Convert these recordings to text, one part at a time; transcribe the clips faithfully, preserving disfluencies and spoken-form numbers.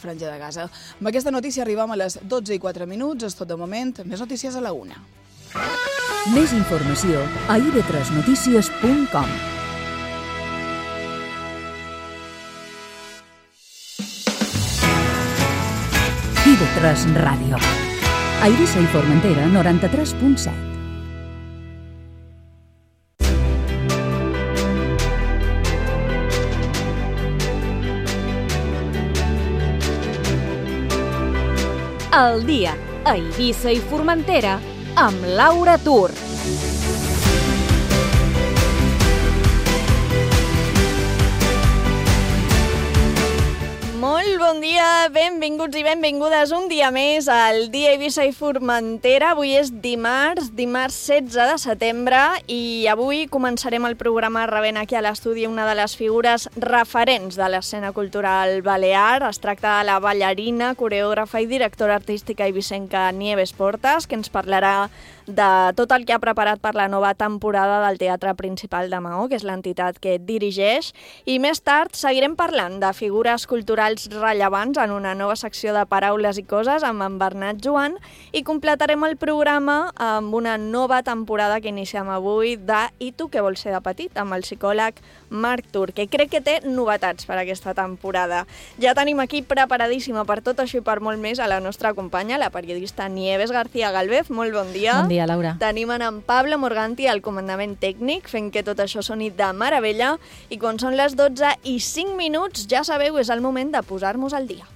Franja de Gaza. Amb aquesta notícia arribem a les dotze i quatre minuts. És tot de moment. Més notícies a la una. Més informació a i ve tres notícies punt com. i ve tres Ràdio. A Eivissa i Formentera, noranta-tres punt set. El dia a Eivissa i Formentera amb Laura Tur. Molt bon dia, benvinguts i benvingudes un dia més al dia Eivissa i Formentera. Avui és dimarts, dimarts setze de setembre i avui començarem el programa rebent aquí a l'estudi una de les figures referents de l'escena cultural balear. Es tracta de la ballarina, coreògrafa i directora artística eivissenca Nieves Portas, que ens parlarà de tot el que ha preparat per la nova temporada del Teatre Principal de Maó, que és l'entitat que dirigeix. I més tard seguirem parlant de figures culturals rellevants en una nova secció de Paraules i Coses amb en Bernat Joan i completarem el programa amb una nova temporada que iniciem avui de I tu què vols ser de petit? Amb el psicòleg Marc Tur, que crec que té novetats per aquesta temporada. Ja tenim aquí preparadíssima per tot això i per molt més a la nostra companya, la periodista Nieves García Galvez. Molt bon dia. Bon dia, Laura. Tenim en Pablo Morganti al comandament tècnic, fent que tot això soni de meravella. I quan són les dotze i cinc minuts, ja sabeu, és el moment de posar-nos al dia.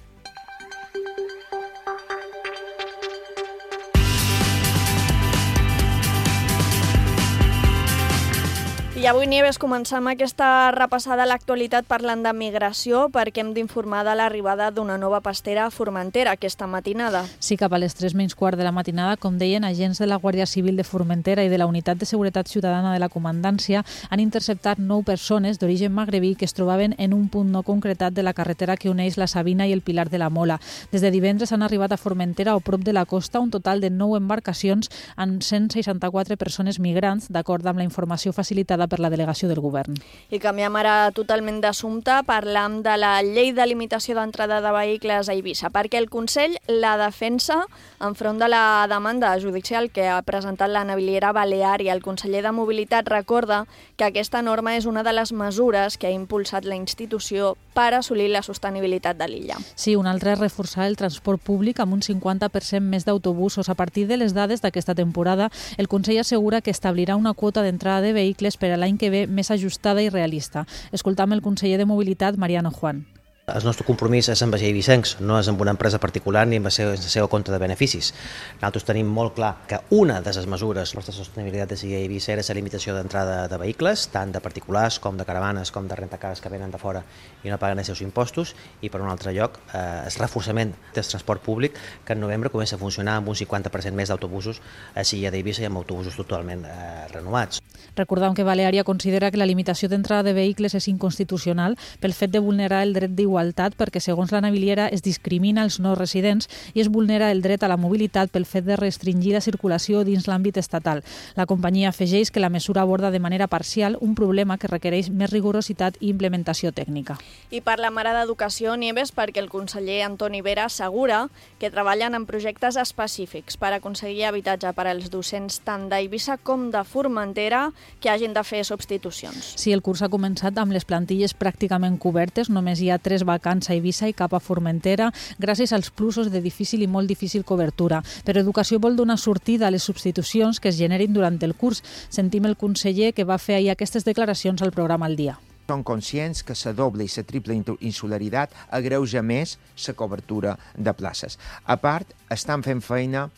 I avui, Nieves, comencem aquesta repassada a l'actualitat parlant de migració perquè hem d'informar de l'arribada d'una nova pastera a Formentera aquesta matinada. Sí, cap a les tres menys quart de la matinada, com deien, agents de la Guàrdia Civil de Formentera i de la Unitat de Seguretat Ciutadana de la Comandància han interceptat nou persones d'origen magrebí que es trobaven en un punt no concretat de la carretera que uneix la Sabina i el Pilar de la Mola. Des de divendres han arribat a Formentera o prop de la costa un total de nou embarcacions amb cent seixanta-quatre persones migrants, d'acord amb la informació facilitada per la delegació del govern. I canviem ara totalment d'assumpte, parlam de la llei de limitació d'entrada de vehicles a Eivissa, perquè el Consell la defensa enfront de la demanda judicial que ha presentat la Naviliera Balear, i el conseller de Mobilitat recorda que aquesta norma és una de les mesures que ha impulsat la institució per assolir la sostenibilitat de l'illa. Sí, un altre és reforçar el transport públic amb un cinquanta per cent més d'autobusos. A partir de les dades d'aquesta temporada, el Consell assegura que establirà una quota d'entrada de vehicles per a l'any que ve més ajustada i realista. Escoltam el conseller de Mobilitat, Mariano Juan. El nostre compromís és amb els eivissencs, no és amb una empresa particular ni amb la seva, la seva compte de beneficis. Nosaltres tenim molt clar que una de les mesures de la sostenibilitat de Eivissa era la limitació d'entrada de vehicles, tant de particulars com de caravanes com de rentacares que venen de fora i no paguen els seus impostos, i per un altre lloc eh, el reforçament del transport públic, que en novembre comença a funcionar amb un cinquanta per cent més d'autobusos a Silla d'Eivissa i amb autobusos totalment eh, renovats. Recordem que Baleària considera que la limitació d'entrada de vehicles és inconstitucional pel fet de vulnerar el dret d'igualtat perquè, segons la Naviliera, es discrimina els no residents i es vulnera el dret a la mobilitat pel fet de restringir la circulació dins l'àmbit estatal. La companyia afegeix que la mesura aborda de manera parcial un problema que requereix més rigorositat i implementació tècnica. I parlem ara d'educació, Nieves, perquè el conseller Antoni Vera assegura que treballen en projectes específics per aconseguir habitatge per als docents tant d'Eivissa com de Formentera que hagin de fer substitucions. Sí, el curs ha començat amb les plantilles pràcticament cobertes, només hi ha tres vacants a Eivissa i cap a Formentera, gràcies als plusos de difícil i molt difícil cobertura. Però Educació vol donar sortida a les substitucions que es generin durant el curs. Sentim el conseller que va fer ahir aquestes declaracions al programa Al Dia. Són conscients que la doble i la triple insularitat agreuja més la cobertura de places. A part, estan fent feina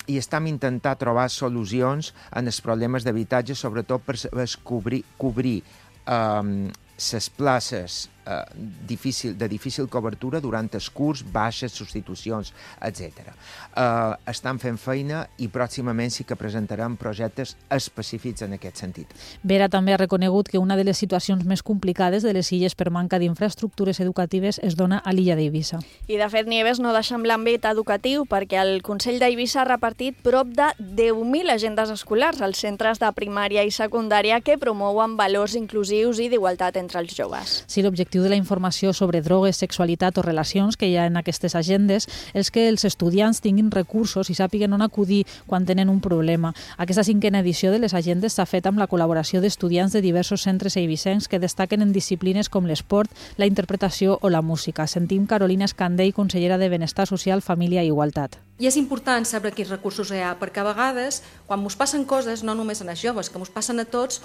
i estem intentant trobar solucions en els problemes d'habitatge, sobretot per cobrir, cobrir um, les places eh, difícil, de difícil cobertura durant el curs, baixes, substitucions, etcètera. Eh, estan fent feina i pròximament sí que presentarem projectes específics en aquest sentit. Vera també ha reconegut que una de les situacions més complicades de les illes per manca d'infraestructures educatives es dona a l'illa d'Eivissa. I de fet, Nieves, no deixem l'àmbit educatiu perquè el Consell d'Eivissa ha repartit prop de deu mil agendes escolars als centres de primària i secundària que promouen valors inclusius i d'igualtat entre els joves. Sí, l'objectiu l'objectiu de la informació sobre drogues, sexualitat o relacions que hi ha en aquestes agendes és que els estudiants tinguin recursos i sàpiguen on acudir quan tenen un problema. Aquesta cinquena edició de les agendes s'ha fet amb la col·laboració d'estudiants de diversos centres eivissencs que destaquen en disciplines com l'esport, la interpretació o la música. Sentim Carolina Escandell, consellera de Benestar Social, Família i Igualtat. I és important saber quins recursos hi ha, perquè a vegades, quan ens passen coses, no només a els joves, que ens passen a tots,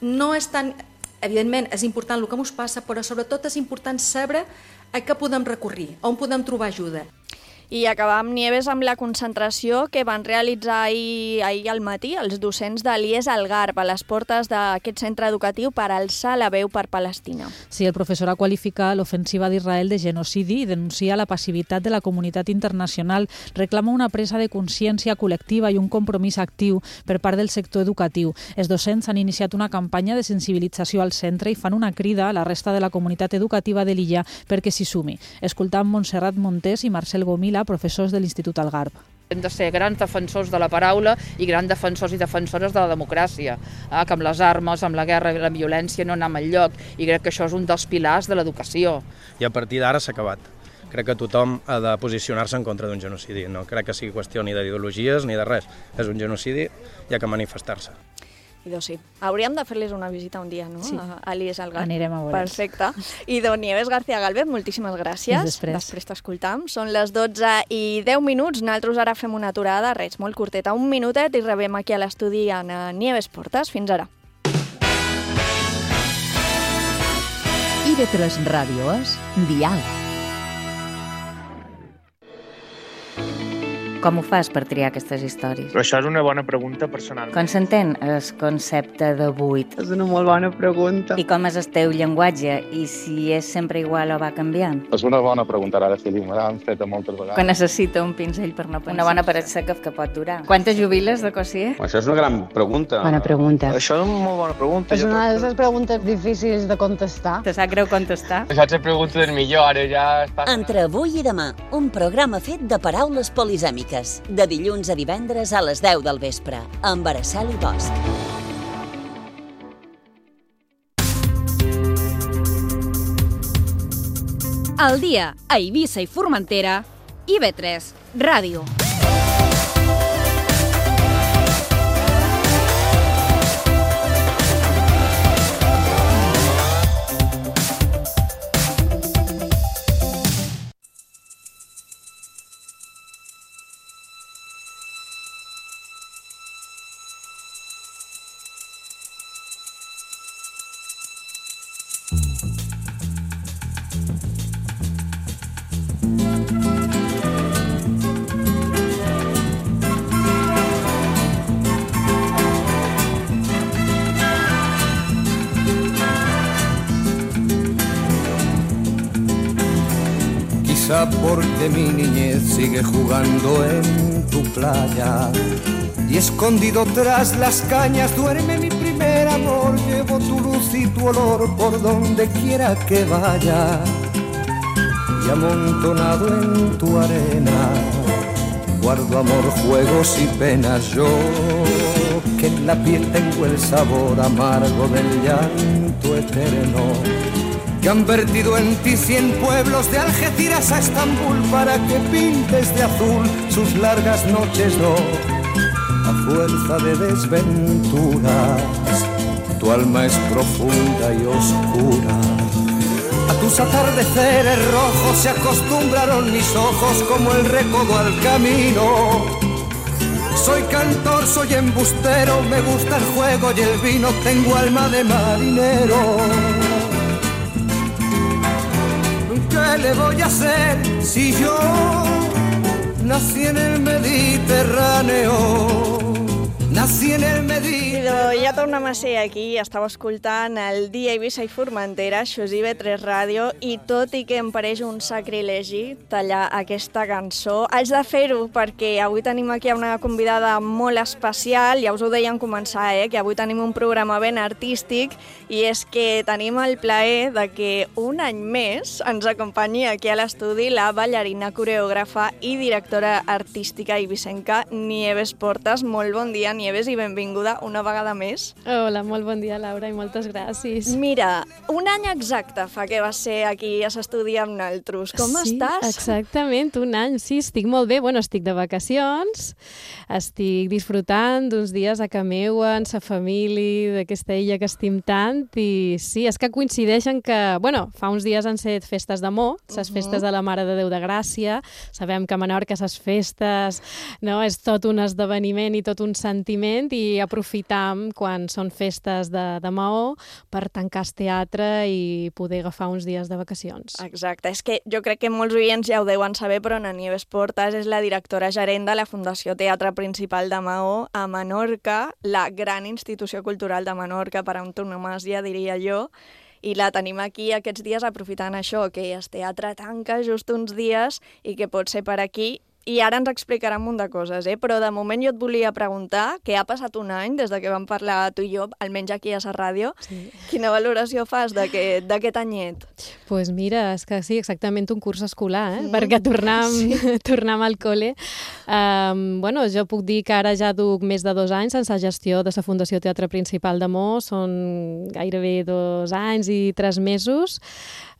no és tan... Evidentment, és important el que ens passa, però sobretot és important saber a què podem recurrir, on podem trobar ajuda. I acabam, Nieves, amb la concentració que van realitzar ahir, ahir al matí els docents de l'I E S al Garb a les portes d'aquest centre educatiu per alçar la veu per Palestina. Sí, el professor ha qualificat l'ofensiva d'Israel de genocidi i denuncia la passivitat de la comunitat internacional. Reclama una presa de consciència col·lectiva i un compromís actiu per part del sector educatiu. Els docents han iniciat una campanya de sensibilització al centre i fan una crida a la resta de la comunitat educativa de l'illa perquè s'hi sumi. Escoltam Montserrat Montés i Marcel Gomila, professors de l'Institut Algarb. Hem de ser grans defensors de la paraula i grans defensors i defensores de la democràcia, eh? que amb les armes, amb la guerra i la violència no anem enlloc, i crec que això és un dels pilars de l'educació. I a partir d'ara s'ha acabat. Crec que tothom ha de posicionar-se en contra d'un genocidi. No crec que sigui qüestió ni d'ideologies ni de res. És un genocidi i ha que manifestar-se. Idò, sí. Hauríem de fer-les una visita un dia, no? Sí. A l'I E S al Garb. Anirem a veure. Perfecte. Idò, Nieves García Galvez, moltíssimes gràcies. Després. Després t'escoltam. Són les dotze i deu minuts. Nosaltres ara fem una aturada, res, molt curteta, un minutet, i rebem aquí a l'estudi en Nieves Portes. Fins ara. I V tres Ràdio és Dial. Com ho fas per triar aquestes històries? Però això és una bona pregunta personal. Com s'entén el concepte de buit? És una molt bona pregunta. I com és el teu llenguatge? I si és sempre igual o va canviant? És una bona pregunta, ara sí, me l'han feta moltes vegades. Que necessita un pinzell per no pensar. Una bona paret seca que pot durar. Quantes jubiles de Cossier? Això és una gran pregunta. Bona pregunta. Això és una molt bona pregunta. És una de les preguntes difícils de contestar. Te sap greu contestar? Això és la pregunta del millor, ara ja està... Entre avui i demà, un programa fet de paraules polisèmiques. De dilluns a divendres a les deu del vespre, amb Araceli Bosch. Al dia a Eivissa i Formentera, I V tres Ràdio. Porque mi niñez sigue jugando en tu playa y escondido tras las cañas duerme mi primer amor. Llevo tu luz y tu olor por donde quiera que vaya y amontonado en tu arena guardo amor, juegos y penas. Yo que en la piel tengo el sabor amargo del llanto eterno, que han vertido en ti cien pueblos de Algeciras a Estambul para que pintes de azul sus largas noches, no, a fuerza de desventuras. Tu alma es profunda y oscura. A tus atardeceres rojos se acostumbraron mis ojos como el recodo al camino. Soy cantor, soy embustero, me gusta el juego y el vino, tengo alma de marinero. ¿Qué le voy a hacer si yo nací en el Mediterráneo? Nací en el Mediterráneo. Ja tornem a ser aquí, estava escoltant el Dia Eivissa i Formentera, això és I V tres Ràdio, i tot i que em pareix un sacrilegi tallar aquesta cançó, haig de fer-ho perquè avui tenim aquí una convidada molt especial, ja us ho deien començar, eh, que avui tenim un programa ben artístic, i és que tenim el plaer de que un any més ens acompanyi aquí a l'estudi la ballarina, coreògrafa i directora artística eivissenca Nieves Portes. Molt bon dia, Nieves. Nieves, i benvinguda una vegada més. Hola, molt bon dia, Laura, i moltes gràcies. Mira, un any exacte fa que vas ser aquí a l'estudi amb naltros. Com sí, estàs? Exactament, un any, sí, estic molt bé. Bueno, estic de vacacions, estic disfrutant d'uns dies a ca meua, amb sa família, d'aquesta illa que estim tant, i sí, és que coincideixen que, bueno, fa uns dies han set festes d'amor, les Mhm. festes de la Mare de Déu de Gràcia. Sabem que a Menorca les festes, no, és tot un esdeveniment i tot un sentiment, i aprofitam quan són festes de, de Maó per tancar el teatre i poder agafar uns dies de vacacions. Exacte, és que jo crec que molts oients ja ho deuen saber, però Ana Nieves Portas és la directora gerent de la Fundació Teatre Principal de Maó a Menorca, la gran institució cultural de Menorca per antonomàsia, diria jo, i la tenim aquí aquests dies aprofitant això, que el teatre tanca just uns dies i que pot ser per aquí. I ara ens explicarà un munt de coses, eh? Però de moment jo et volia preguntar, que ha passat un any des de que vam parlar tu i jo, almenys aquí a la ràdio, Sí. quina valoració fas d'aquest d'aquest anyet? Doncs pues mira, és que sí, exactament un curs escolar, eh? Mm. perquè tornam, sí. tornam al col·le. Um, bueno, jo puc dir que ara ja duc més de dos anys en la gestió de la Fundació Teatre Principal de Maó, són gairebé dos anys i tres mesos,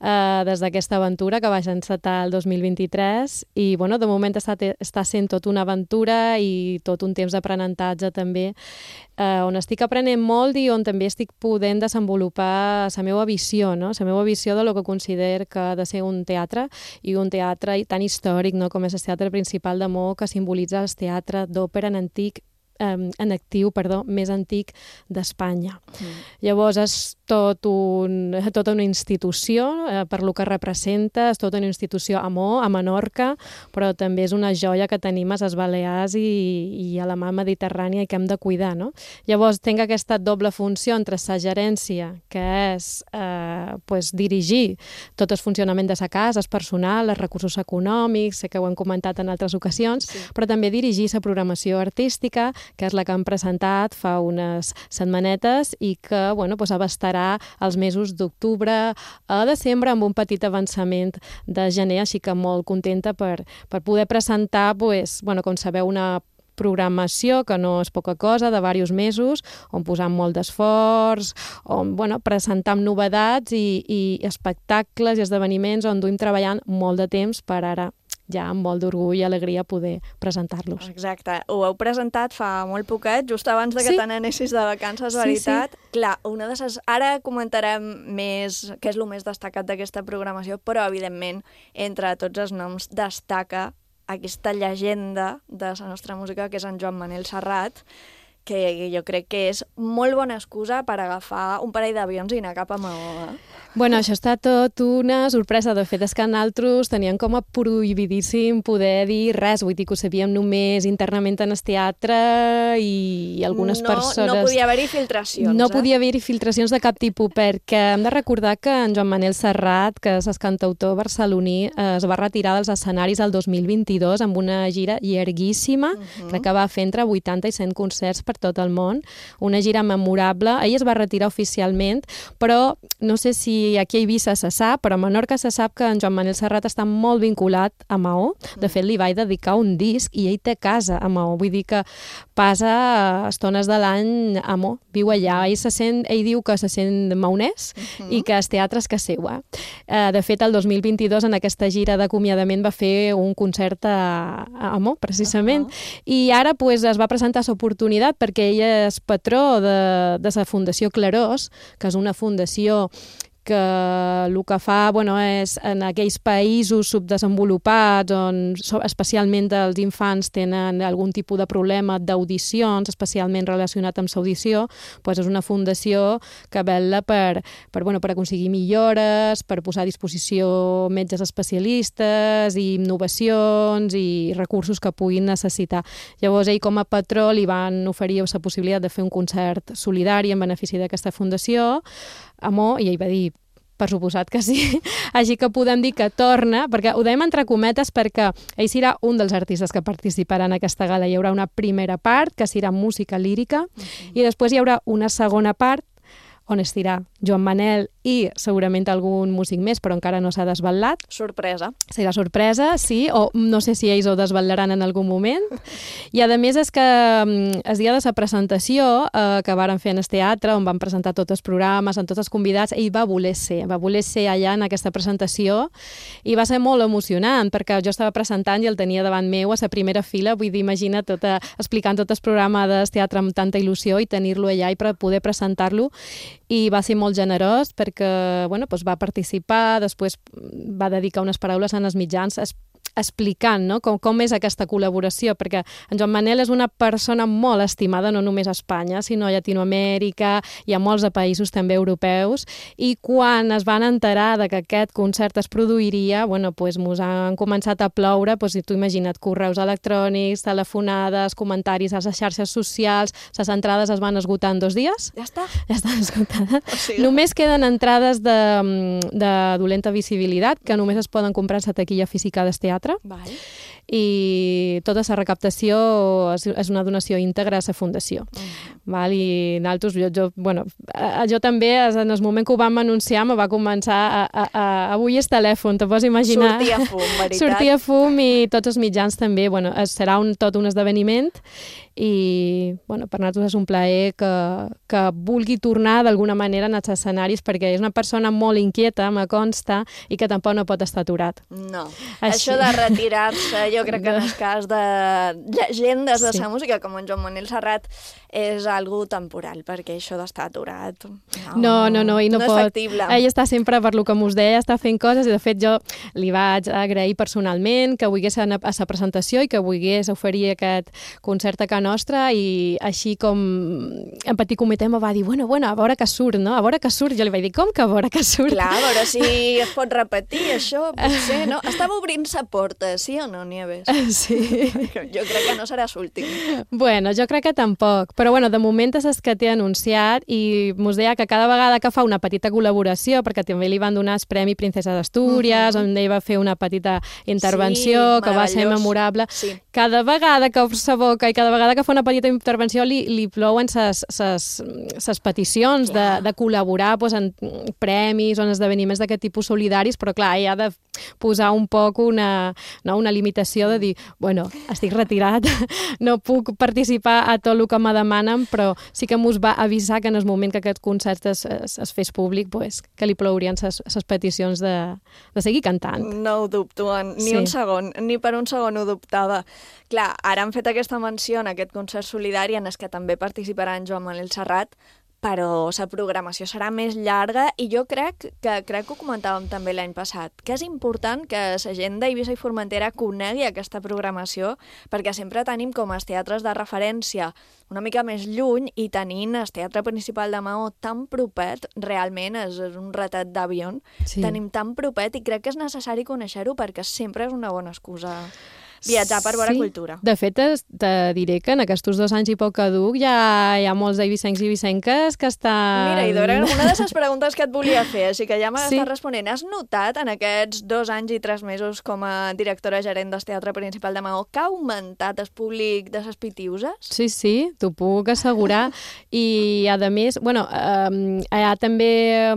Uh, des d'aquesta aventura que vaig encetar el dos mil vint-i-tres, i bueno, de moment està, està sent tot una aventura i tot un temps d'aprenentatge també, uh, on estic aprenent molt i on també estic podent desenvolupar la meva visió, no? La meva visió de lo que considero que ha de ser un teatre, i un teatre tan històric, no? com és el Teatre Principal de Maó, que simbolitza el teatre d'òpera en antic, en actiu, perdó, més antic d'Espanya. Mm. Llavors és tot un, tota una institució, eh, per lo que representa, és tota una institució a Maó, a Menorca, però també és una joia que tenim a les Balears i, i a la mà mediterrània i que hem de cuidar, no? Llavors tinc aquesta doble funció entre la gerència, que és eh, pues, dirigir tot el funcionament de la casa, el personal, els recursos econòmics, sé que ho hem comentat en altres ocasions, sí. però també dirigir la programació artística, que és la que hem presentat fa unes setmanetes i que bueno, doncs abastarà els mesos d'octubre a desembre amb un petit avançament de gener, així que molt contenta per, per poder presentar, doncs, bueno, com sabeu, una programació que no és poca cosa, de diversos mesos, on posam molt d'esforç, on bueno, presentam novetats i, i espectacles i esdeveniments on duim treballant molt de temps per ara ja amb molt d'orgull i alegria poder presentar-los. Exacte. Ho heu presentat fa molt poquet, just abans de que sí. te n'anessis de vacances, veritat. Sí, sí. Clar, una de ses... ara comentarem més què és el més destacat d'aquesta programació, però, evidentment, entre tots els noms destaca aquesta llegenda de la nostra música, que és en Joan Manel Serrat, que jo crec que és molt bona excusa per agafar un parell d'avions i anar cap a Maó. Eh? Bueno, això està tot una sorpresa. De fet, és que nosaltres teníem com a prohibidíssim poder dir res. Vull dir que ho sabíem només internament en el teatre i algunes no, persones... No podia haver-hi filtracions. No eh? podia haver-hi filtracions de cap tipus, perquè hem de recordar que en Joan Manel Serrat, que és el cantautor barceloní, es va retirar dels escenaris el dos mil vint-i-dos amb una gira llarguíssima, uh-huh. crec que va fer entre vuitanta i cent concerts per tot el món, una gira memorable. Ell es va retirar oficialment, però no sé si aquí a Eivissa se sap, però a Menorca se sap que en Joan Manel Serrat està molt vinculat a Maó. De fet, li vaig dedicar un disc i ell té casa a Maó. Vull dir que passa estones de l'any a Maó, viu allà. Ell, se sent, ell diu que se sent maonès uh-huh. i que el teatre és que seu. Eh? De fet, el dos mil vint-i-dos, en aquesta gira d'acomiadament, va fer un concert a, a Maó, precisament. Uh-huh. I ara pues, es va presentar l'oportunitat perquè ell és patró de, de la Fundació Clarós, que és una fundació que el que fa bueno, és en aquells països subdesenvolupats on especialment els infants tenen algun tipus de problema d'audicions, especialment relacionat amb l'audició, doncs és una fundació que vetlla per, per, bueno, per aconseguir millores, per posar a disposició metges especialistes i innovacions i recursos que puguin necessitar. Llavors ell com a patró li van oferir la possibilitat de fer un concert solidari en benefici d'aquesta fundació a Maó, i ell va dir, per suposat que sí. Així que podem dir que torna, perquè ho dèiem entre cometes perquè ell serà un dels artistes que participarà en aquesta gala. Hi haurà una primera part, que serà música lírica, uh-huh. i després hi haurà una segona part on estirà Joan Manel i segurament algun músic més, però encara no s'ha desvetllat. Sorpresa. Serà sorpresa, sí, o no sé si ells ho desvetlaran en algun moment. I a més és que el dia de la presentació eh, que varen fer en el teatre, on van presentar tots els programes, amb tots els convidats, ell va voler ser, va voler ser allà en aquesta presentació i va ser molt emocionant, perquè jo estava presentant i el tenia davant meu a la primera fila, vull dir, imagina tota, explicant tot el programa del teatre amb tanta il·lusió i tenir-lo allà i per poder presentar-lo, i va ser molt generós perquè bueno, doncs va participar, després va dedicar unes paraules en els mitjans explicant no? com, com és aquesta col·laboració, perquè en Joan Manel és una persona molt estimada no només a Espanya, sinó a Llatinoamèrica i a molts de països també europeus, i quan es van enterar de que aquest concert es produiria, bueno, doncs mos han començat a ploure, doncs, si tu imagina't, correus electrònics, telefonades, comentaris a les xarxes socials, les entrades es van esgotar en dos dies. Ja està. Ja estan esgotades. O sigui... Només queden entrades de, de dolenta visibilitat, que només es poden comprar a la taquilla física del teatre. Vale. I tota la recaptació és, és una donació íntegra a la fundació. Mm. Val? I nosaltres, jo, jo, bueno, jo també, en el moment que ho vam anunciar, me va començar a, a, a, a avui el telèfon, te pots imaginar. Sortia fum, veritat. Sortia fum i tots els mitjans també. Bueno, serà un, tot un esdeveniment i bueno, per nosaltres és un plaer que, que vulgui tornar d'alguna manera en els escenaris, perquè és una persona molt inquieta, me consta, i que tampoc no pot estar aturat. No. Així. Això de retirar-se, jo crec que en el cas de llegendes de Sí. la música, com en Joan Manel Serrat, és algo temporal, perquè això d'estar aturat no, No, no, no, i no, no pot. és factible. Ell està sempre, per lo que m'us deia, està fent coses, i de fet jo li vaig agrair personalment que volgués anar a la presentació i que volgués oferir aquest concert a casa nostra, i així com en petit comitè me va dir, bueno, bueno, a veure que surt, no? A veure que surt. Jo li vaig dir, com que a veure que surt? Clar, a veure si es pot repetir això, potser, no? Estava obrint-se porta, sí o no, Nieves? Sí. Jo crec que no serà l'últim. Bueno, jo crec que tampoc, però bueno, de moment és el que té anunciat, i mos deia que cada vegada que fa una petita col·laboració, perquè també li van donar el Premi Princesa d'Astúries, mm-hmm. on ell va fer una petita intervenció sí, que va ser memorable, sí. cada vegada que obre sa boca i cada vegada que fa una petita intervenció li, li plouen ses peticions de, de col·laborar pues, en premis o en esdeveniments d'aquest tipus solidaris, però clar, ell ha de posar un poc una, no, una limitació de dir, bueno, estic retirat, no puc participar a tot el que me demanen, però sí que mos va avisar que en el moment que aquest concert es, es, es fes públic, pues, que li plourien ses, ses peticions de, de seguir cantant. No ho dubto, ni Sí. un segon, ni per un segon ho dubtava. Clar, ara han fet aquesta menció en aquest concert solidari en el que també participarà en Joan Manel Serrat, però la programació serà més llarga, i jo crec que crec que ho comentàvem també l'any passat, que és important que la gent d'Eivissa i Formentera conegui aquesta programació, perquè sempre tenim com els teatres de referència una mica més lluny, i tenint el Teatre Principal de Maó tan propet, realment és un ratet d'avió, Sí. tenim tan propet, i crec que és necessari conèixer-ho perquè sempre és una bona excusa viatjar per veure Sí. cultura. De fet, es- te diré que en aquests dos anys i poc que duc hi ha, hi ha molts eivissencs i eivissenques que estan... Mira, Idora, era una de les preguntes que et volia fer, així que ja m'estàs Sí. responent. Has notat en aquests dos anys i tres mesos com a directora gerent del Teatre Principal de Maó que ha augmentat el públic de les Pitiuses? Sí, sí, t'ho puc assegurar. I, a més, bueno, eh, hi ha també eh,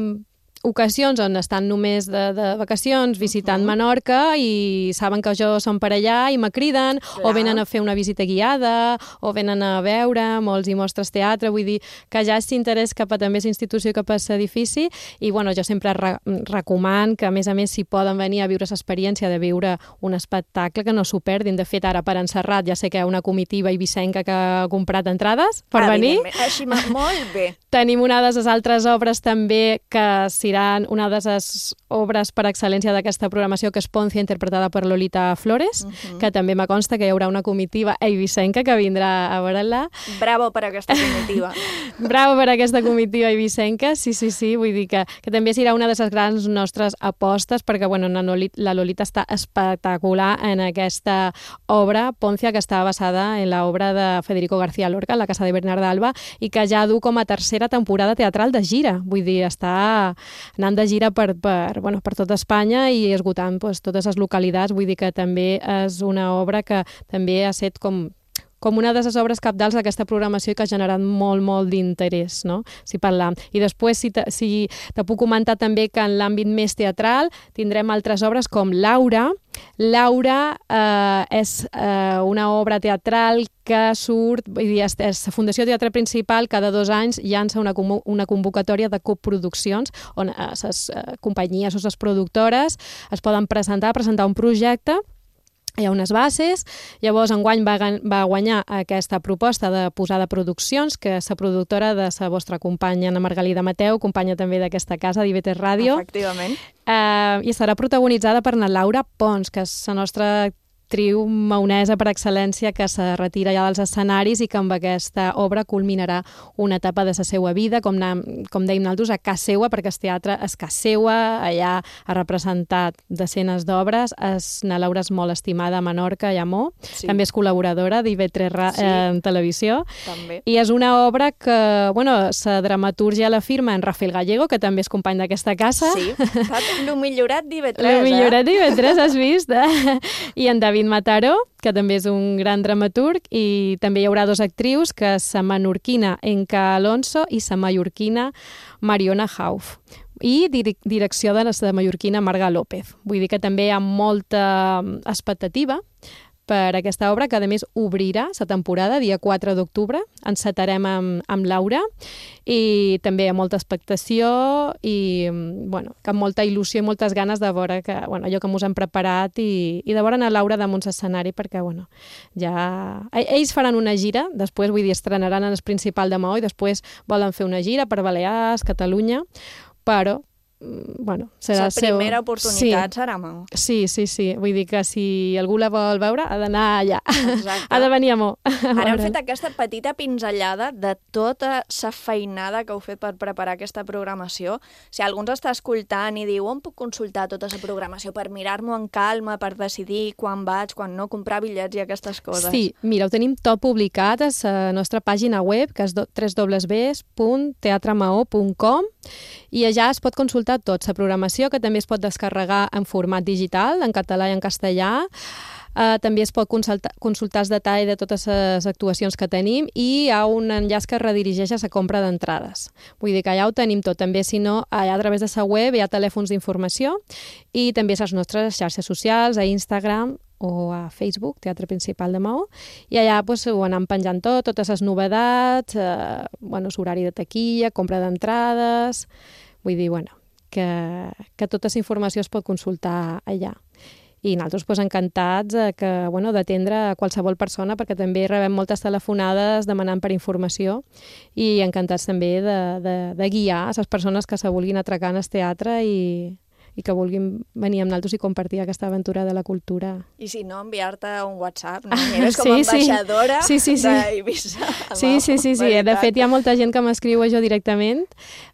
ocasions on estan només de, de vacacions visitant uh -huh. Menorca i saben que jo som per allà i me criden, Clar. o venen a fer una visita guiada, o venen a veure, molts i mostres teatre, vull dir que ja és interès cap a també l'institució i cap a l'edifici, i bueno, jo sempre re recomano que a més a més si poden venir a viure l'experiència de viure un espectacle, que no s'ho perdin. De fet, ara per Encerrat ja sé que hi ha una comitiva eivissenca que ha comprat entrades per venir. Evidentment. Així, molt bé. Tenim una de les altres obres també que seran una de les obres per excel·lència d'aquesta programació, que és Poncia, interpretada per Lolita Flores, uh -huh. que també me consta que hi haurà una comitiva eivissenca que vindrà a veure-la. Bravo per aquesta comitiva. Bravo per aquesta comitiva eivissenca, sí, sí, sí, vull dir que, que també serà una de les grans nostres apostes, perquè bueno, la Lolita, la Lolita està espectacular en aquesta obra, Poncia, que està basada en l'obra de Federico García Lorca, La casa de Bernarda Alba, i que ja du com a tercera temporada teatral de gira, vull dir, està anant de gira per, per, bueno, per tota Espanya i esgotant pues, totes les localitats, vull dir que també és una obra que també ha set com com una de les obres capdals d'aquesta programació que ha generat molt, molt d'interès, no? Si parlam. I després, si te, si te puc comentar també que en l'àmbit més teatral tindrem altres obres com Laura. Laura eh, és eh, una obra teatral que surt, vull dir, és, és la Fundació Teatre Principal cada dos anys llança una, una convocatòria de coproduccions on les eh, companyies o les productores es poden presentar, presentar un projecte. Hi ha unes bases, llavors enguany va, va guanyar aquesta proposta de posar de produccions, que és la productora de la vostra companya Ana Margalida Mateu, companya també d'aquesta casa, d'I V tres Ràdio. Efectivament. Eh, I serà protagonitzada per la Laura Pons, que és la nostra actriu maonesa per excel·lència que se retira ja dels escenaris i que amb aquesta obra culminarà una etapa de la seva vida, com, com dèiem nosaltres, a casa seva, perquè el teatre és casa seva, allà ha representat decenes d'obres, la Laura és molt estimada a Menorca i a Mo, sí. També és col·laboradora d'I V tres sí. eh, en televisió, també. I és una obra que, bueno, la dramatúrgia la firma en Rafael Gallego, que també és company d'aquesta casa. Sí, el millorat d'I V tres, el millorat d'I V tres, has vist? Eh? I en David Mataró, que també és un gran dramaturg, i també hi haurà dos actrius, que és la menorquina Enca Alonso i la mallorquina Mariona Hauf. I direcció de la mallorquina Marga López. Vull dir que també hi ha molta expectativa per aquesta obra, que a més obrirà la temporada, dia quatre d'octubre, encetarem amb, amb Laura, i també hi ha molta expectació i bueno, que amb molta il·lusió i moltes ganes de veure que, bueno, allò que mos hem preparat i, i de veure a Laura damunt l'escenari, perquè bueno, ja... ells faran una gira, després vull dir, estrenaran en el Principal de Maó i després volen fer una gira per Balears, Catalunya, però bueno, serà la primera seu... oportunitat sí. serà Maó. Sí, sí, sí. Vull dir que si algú la vol veure ha d'anar allà. Exacte. Ha de venir a Maó. Ara hem fet aquesta petita pinzellada de tota la feinada que heu fet per preparar aquesta programació. Si algú ens està escoltant i diu on puc consultar tota la programació per mirar-m'ho en calma, per decidir quan vaig, quan no, comprar bitllets i aquestes coses. Sí, mira, ho tenim tot publicat a la nostra pàgina web, que és w w w punt teatremaó punt com, i allà es pot consultar tot, la programació, que també es pot descarregar en format digital, en català i en castellà. Uh, també es pot consultar, consultar el detall de totes les actuacions que tenim i hi ha un enllaç que redirigeix a la compra d'entrades. Vull dir que allà ho tenim tot. També, si no, allà a través de la web hi ha telèfons d'informació i també a les nostres xarxes socials, a Instagram o a Facebook, Teatre Principal de Maó, i allà pues, ho anem penjant tot, totes les novetats, eh, bueno, horari de taquilla, compra d'entrades... Vull dir, bueno, que, que tota la informació es pot consultar allà. I nosaltres pues, encantats eh, que, bueno, d'atendre a qualsevol persona, perquè també rebem moltes telefonades demanant per informació i encantats també de, de, de guiar a les persones que se vulguin atracar en el teatre i, i que vulguin venir amb nosaltres i compartir aquesta aventura de la cultura. I si no, enviar-te un WhatsApp, no? Eres com a sí, ambaixadora sí. Sí, sí, sí. d'Eivissa. Sí, sí, sí, sí. De fet, hi ha molta gent que m'escriu a jo directament.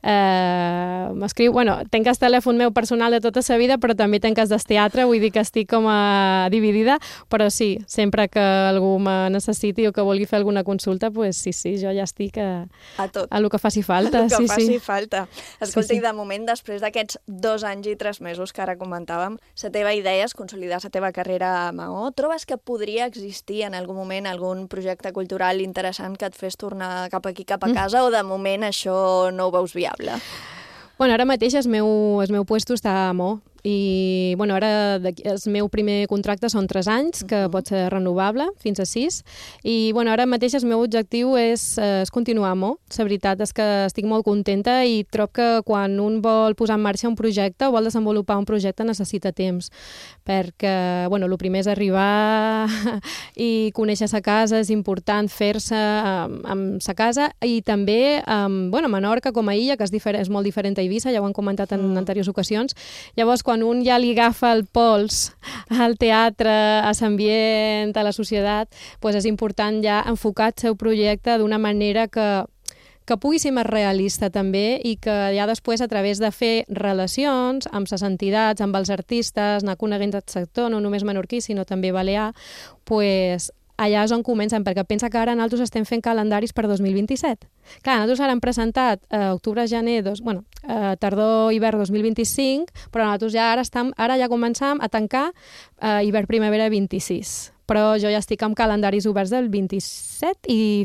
Eh, m'escriu, bueno, tenc el telèfon meu personal de tota la vida, però també tenc el del teatre, vull dir que estic com a dividida, però sí, sempre que algú me necessiti o que vulgui fer alguna consulta, pues sí, sí, jo ja estic a, a tot. A lo que faci falta. A lo que sí, faci sí. falta. Escolta, sí, sí. I de moment, després d'aquests dos anys i tres mesos que ara comentàvem, la teva idea és consolidar la teva carrera a Maó. Trobes que podria existir en algun moment algun projecte cultural interessant que et fes tornar cap aquí, cap a casa, mm. o de moment això no ho veus viable? Bueno, ara mateix el meu, el meu puesto està a Maó. I bueno, ara el meu primer contracte són tres anys, que uh-huh. pot ser renovable fins a sis, i bueno, ara mateix el meu objectiu és, és continuar a Maó. La veritat és que estic molt contenta i trob que quan un vol posar en marxa un projecte o vol desenvolupar un projecte necessita temps, perquè bueno, el primer és arribar i conèixer la casa, és important fer-se amb, amb la casa, i també amb, bueno, Menorca com a illa, que és, diferent, és molt diferent a Eivissa, ja ho han comentat en mm. anteriors ocasions. Llavors, quan un ja li agafa el pols al teatre, a l'ambient, a la societat, doncs és important ja enfocar el seu projecte d'una manera que, que pugui ser més realista també i que ja després, a través de fer relacions amb les entitats, amb els artistes, anar coneguent el sector, no només menorquí, sinó també balear, doncs allà és on comencen, perquè pensa que ara nosaltres estem fent calendaris per dos mil vint-i-set. Clar, nosaltres ara hem presentat eh, octubre-gener, dos, bueno, eh, tardor-hivern dos mil vint-i-cinc, però nosaltres ja ara, estem, ara ja començam a tancar eh, hivern-primavera vint-i-sis, però jo ja estic amb calendaris oberts del vint-i-set i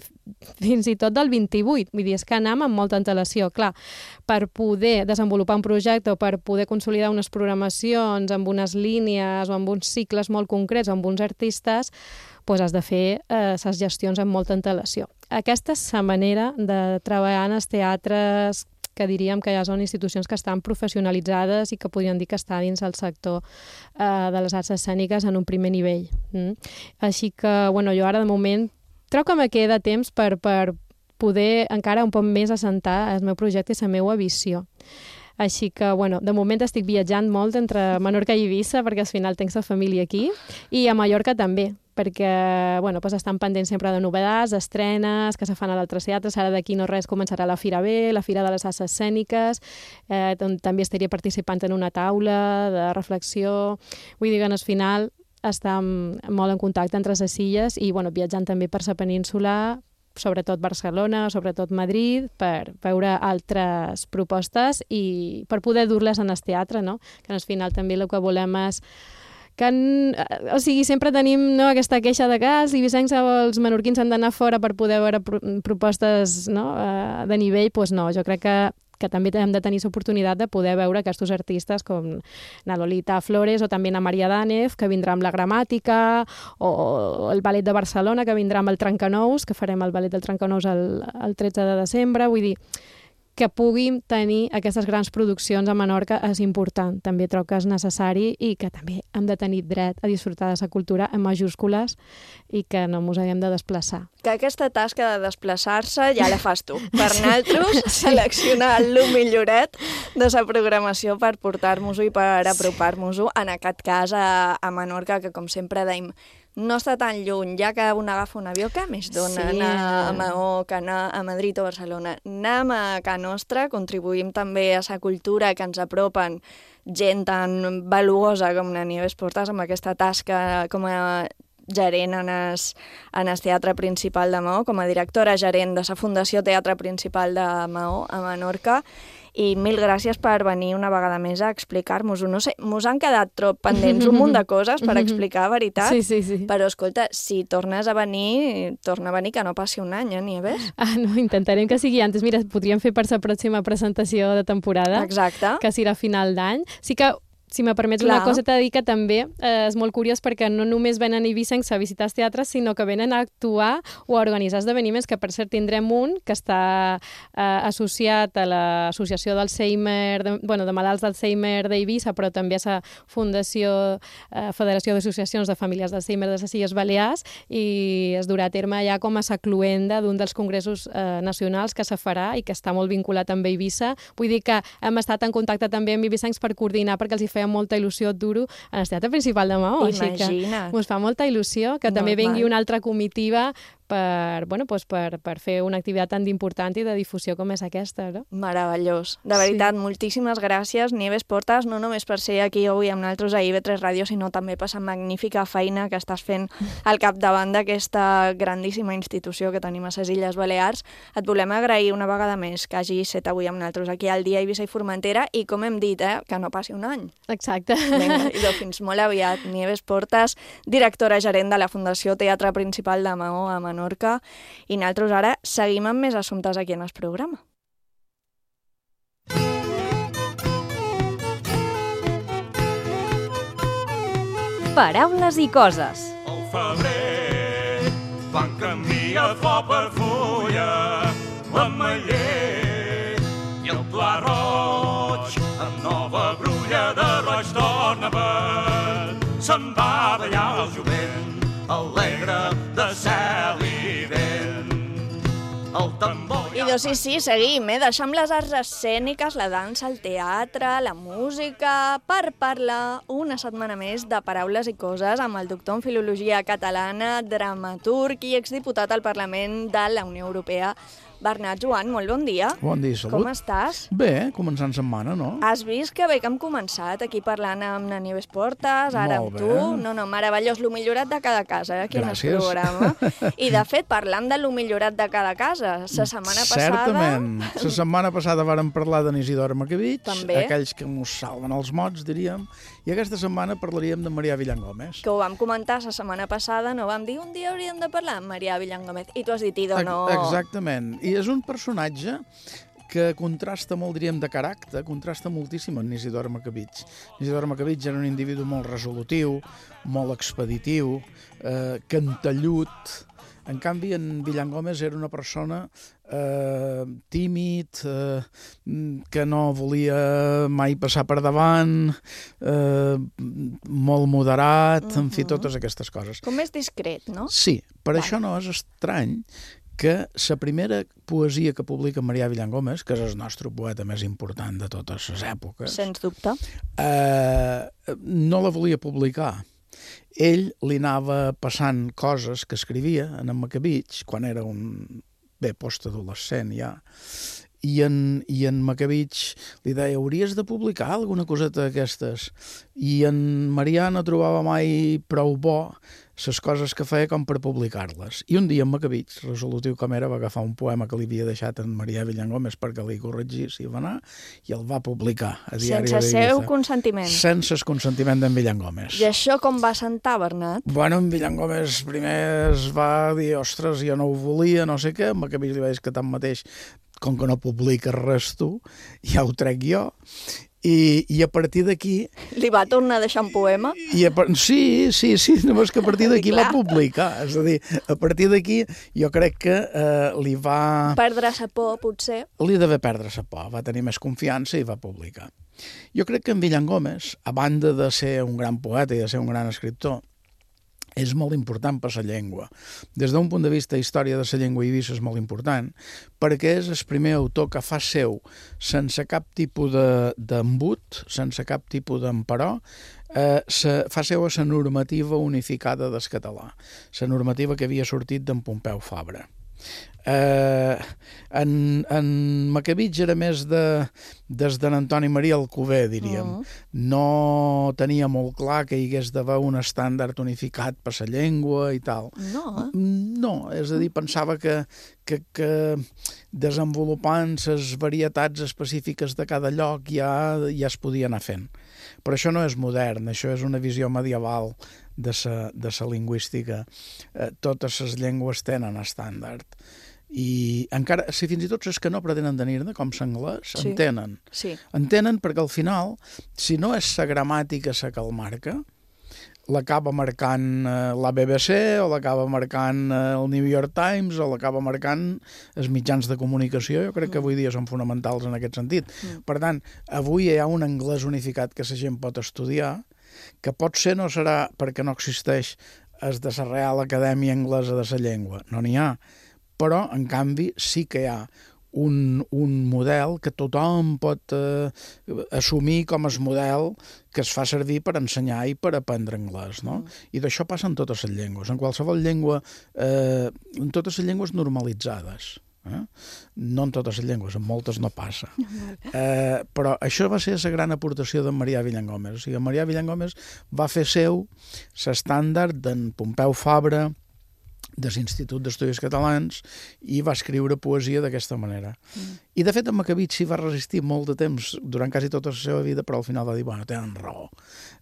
fins i tot del vint-i-vuit. Vull dir, és que anem amb molta antelació. Clar, per poder desenvolupar un projecte o per poder consolidar unes programacions amb unes línies o amb uns cicles molt concrets o amb uns artistes, doncs has de fer eh, les gestions amb molta antelació. Aquesta és la manera de treballar en els teatres que diríem que ja són institucions que estan professionalitzades i que podríem dir que està dins el sector eh, de les arts escèniques en un primer nivell. Mm? Així que, bueno, jo ara de moment trobo que me queda temps per, per poder encara un poc més assentar el meu projecte i la meva visió. Així que, bueno, de moment estic viatjant molt entre Menorca i Eivissa perquè al final tenc la família aquí i a Mallorca també, perquè bueno, pues estan pendents sempre de novedats, estrenes, que se fan a l'altres teatres. Ara d'aquí no res començarà la Fira B, la Fira de les Arts Escèniques, eh, on també estaria participant en una taula de reflexió. Vull dir que al final estem molt en contacte entre les illes i bueno, viatjant també per la península, sobretot Barcelona, sobretot Madrid, per veure altres propostes i per poder dur-les en el teatre, no? Que al final també el que volem és que, o sigui, sempre tenim no, aquesta queixa de que els eivissencs o els menorquins han d'anar fora per poder veure pro propostes no, de nivell, doncs no, jo crec que que també hem de tenir l'oportunitat de poder veure aquests artistes com na Lolita Flores o també na Maria Dànez, que vindrà amb la gramàtica, o el Ballet de Barcelona, que vindrà amb el Trencanous, que farem el Ballet del Trencanous el, el tretze de desembre. Vull dir, que puguin tenir aquestes grans produccions a Menorca és important, també trobo que és necessari i que també hem de tenir dret a disfrutar de la cultura en majúscules i que no ens haguem de desplaçar. Que aquesta tasca de desplaçar-se ja la fas tu. Per nosaltres, sí. Seleccionar el milloret de la programació per portar-nos-ho i per apropar-nos-ho, en aquest cas a, a Menorca, que com sempre deim, no està tan lluny, ja que un agafa un avió, que més dona sí. anar a Maó, que anar a Madrid o Barcelona. Anem a Can Nostra, contribuïm també a la cultura que ens apropen gent tan valuosa com la Nieves Portas amb aquesta tasca com a gerent en el, en el Teatre Principal de Maó, com a directora gerent de la Fundació Teatre Principal de Maó a Menorca. I mil gràcies per venir una vegada més a explicar-nos-ho. No sé, mos han quedat trop pendents un munt de coses per explicar, veritat? Sí, sí, sí. Però, escolta, si tornes a venir, torna a venir, que no passi un any, eh, Nieves? Ah, no, intentarem que sigui antes. Mira, podríem fer per la pròxima presentació de temporada. Exacte. Que serà a final d'any. Sí que si me permets Clar. una cosa, t'he de dir que també eh, és molt curiós perquè no només venen eivissencs a visitar els teatres, sinó que venen a actuar o a organitzar esdeveniments, que per cert tindrem un que està eh, associat a l'associació d'Alzheimer, de, bueno, de malalts d'Alzheimer d'Eivissa, però també a la Fundació eh, Federació d'Associacions de Famílies d'Alzheimer de les Illes Balears, i es durà a terme ja com a la cluenda d'un dels congressos eh, nacionals que se farà i que està molt vinculat amb Eivissa. Vull dir que hem estat en contacte també amb eivissencs per coordinar, perquè els hi feia molta il·lusió dur-ho en el Teatre Principal de Maó. Imagina't. Així que ens fa molta il·lusió que també Normal. vingui una altra comitiva per, bueno, doncs per, per fer una activitat tan important i de difusió com és aquesta. No? Meravellós. De veritat, Sí. moltíssimes gràcies, Nieves Portas, no només per ser aquí avui amb nosaltres a I V tres Ràdio, sinó també per la magnífica feina que estàs fent al capdavant d'aquesta grandíssima institució que tenim a les Illes Balears. Et volem agrair una vegada més que hagis estat avui amb nosaltres aquí al dia Eivissa i Formentera i, com hem dit, eh, que no passi un any. Exacte. Vinga, idò, fins molt aviat. Nieves Portas, directora gerent de la Fundació Teatre Principal de Maó a Menorca, i nosaltres ara seguim amb més assumptes aquí en el programa. Paraules i coses. Al febrer van canviar flor per fulla, l'ametller i el pla roig, amb nova brulla de roig torna vent. Se'n va ballar el jovent, alegre de cel i vent. El tambor... I doncs sí, sí, seguim, eh? Deixem les arts escèniques, la dansa, el teatre, la música, per parlar una setmana més de paraules i coses amb el doctor en Filologia Catalana, dramaturg i exdiputat al Parlament de la Unió Europea, Bernat, Joan, molt bon dia. Bon dia, salut. Com estàs? Bé, començant setmana, no? Has vist que bé que hem començat aquí parlant amb na Nieves Portes, ara Molt amb bé. tu. No, no, meravellós, lo millorat de cada casa, eh, aquí en el Gràcies. programa. I, de fet, parlant de lo millorat de cada casa, la setmana passada... Certament. La setmana passada vàrem parlar d'en Isidor Macabich, També. aquells que mos salven els mots, diríem, i aquesta setmana parlaríem de Marià Villangómez. Que ho vam comentar la setmana passada, no vam dir un dia hauríem de parlar amb Marià Villangómez, i tu has dit, Ido, no... Exactament. I és un personatge que contrasta molt, diríem, de caràcter, contrasta moltíssim amb Isidor Macabich. Isidor Macabich era un individu molt resolutiu, molt expeditiu, eh, cantellut. En canvi, en Villangómez era una persona eh, tímid, eh, que no volia mai passar per davant, eh, molt moderat, uh-huh. en fi, totes aquestes coses. Com més discret, no? Sí, per això no és estrany que la primera poesia que publica Marià Villangómez, que és el nostre poeta més important de totes les èpoques, Sens dubte. eh, no la volia publicar. Ell li anava passant coses que escrivia en en Macabich, quan era un bé postadolescent ja, i en, i en Macabich li deia, hauries de publicar alguna coseta d'aquestes. I en Marià no trobava mai prou bo les coses que feia com per publicar-les. I un dia en Macabich, resolutiu com era, va agafar un poema que li havia deixat en Marià Villangómez perquè li corregís i va anar, i el va publicar a Diari Sense d'Eivissa. seu consentiment. Sense el consentiment d'en Villangómez. I això com va sentar, Bernat? Bueno, en Villangómez primer es va dir, ostres, jo no ho volia, no sé què, en Macabich li va dir que tanmateix, com que no publiques res tu, ja ho trec jo. I, i a partir d'aquí... Li va tornar a deixar un poema? I a, sí, sí, sí, només que a partir d'aquí va publicar. És a dir, a partir d'aquí jo crec que eh, li va... Perdre sa por, potser? Li d'haver perdre sa por, va tenir més confiança i va publicar. Jo crec que en Villangómez, a banda de ser un gran poeta i de ser un gran escriptor, és molt important per la llengua. Des d'un punt de vista història de la llengua eivissa és molt important, perquè és el primer autor que fa seu, sense cap tipus d'embut, sense cap tipus d'emperò, eh, se, fa seu a la normativa unificada del català, la normativa que havia sortit d'en Pompeu Fabra. Eh, en, en Macabich era més de, des d'en Antoni Maria Alcover, diríem. Uh-huh. No tenia molt clar que hi hagués d'haver un estàndard unificat per la llengua i tal. No, eh? No, és a dir, pensava que, que, que desenvolupant les varietats específiques de cada lloc ja, ja es podia anar fent. Però això no és modern, això és una visió medieval de sa, de sa lingüística. Eh, totes les llengües tenen estàndard. I encara, si fins i tot és que no pretenen tenir-ne, com l'anglès, sí. en tenen. Sí. En tenen perquè al final, si no és la gramàtica la que el marca, l'acaba marcant eh, la B B C, o l'acaba marcant eh, el New York Times, o l'acaba marcant els mitjans de comunicació. Jo crec que avui dia són fonamentals en aquest sentit. Mm. Per tant, avui hi ha un anglès unificat que la gent pot estudiar, que pot ser no serà perquè no existeix es de la Real Acadèmia Anglesa de la Llengua, no n'hi ha, però en canvi sí que hi ha un, un model que tothom pot eh, assumir com el model que es fa servir per ensenyar i per aprendre anglès, no? Mm. I d'això passa en totes les llengües, en qualsevol llengua, eh, en totes les llengües normalitzades. Eh? No en totes les llengües, en moltes no passa. Eh, però això va ser la gran aportació d'en Marià Villangómez. O sigui, en Marià Villangómez va fer seu l'estàndard d'en Pompeu Fabra, de l'Institut d'Estudis Catalans, i va escriure poesia d'aquesta manera. Mm. I, de fet, en Macabich s'hi va resistir molt de temps, durant quasi tota la seva vida, però al final va dir, bueno, tenen raó.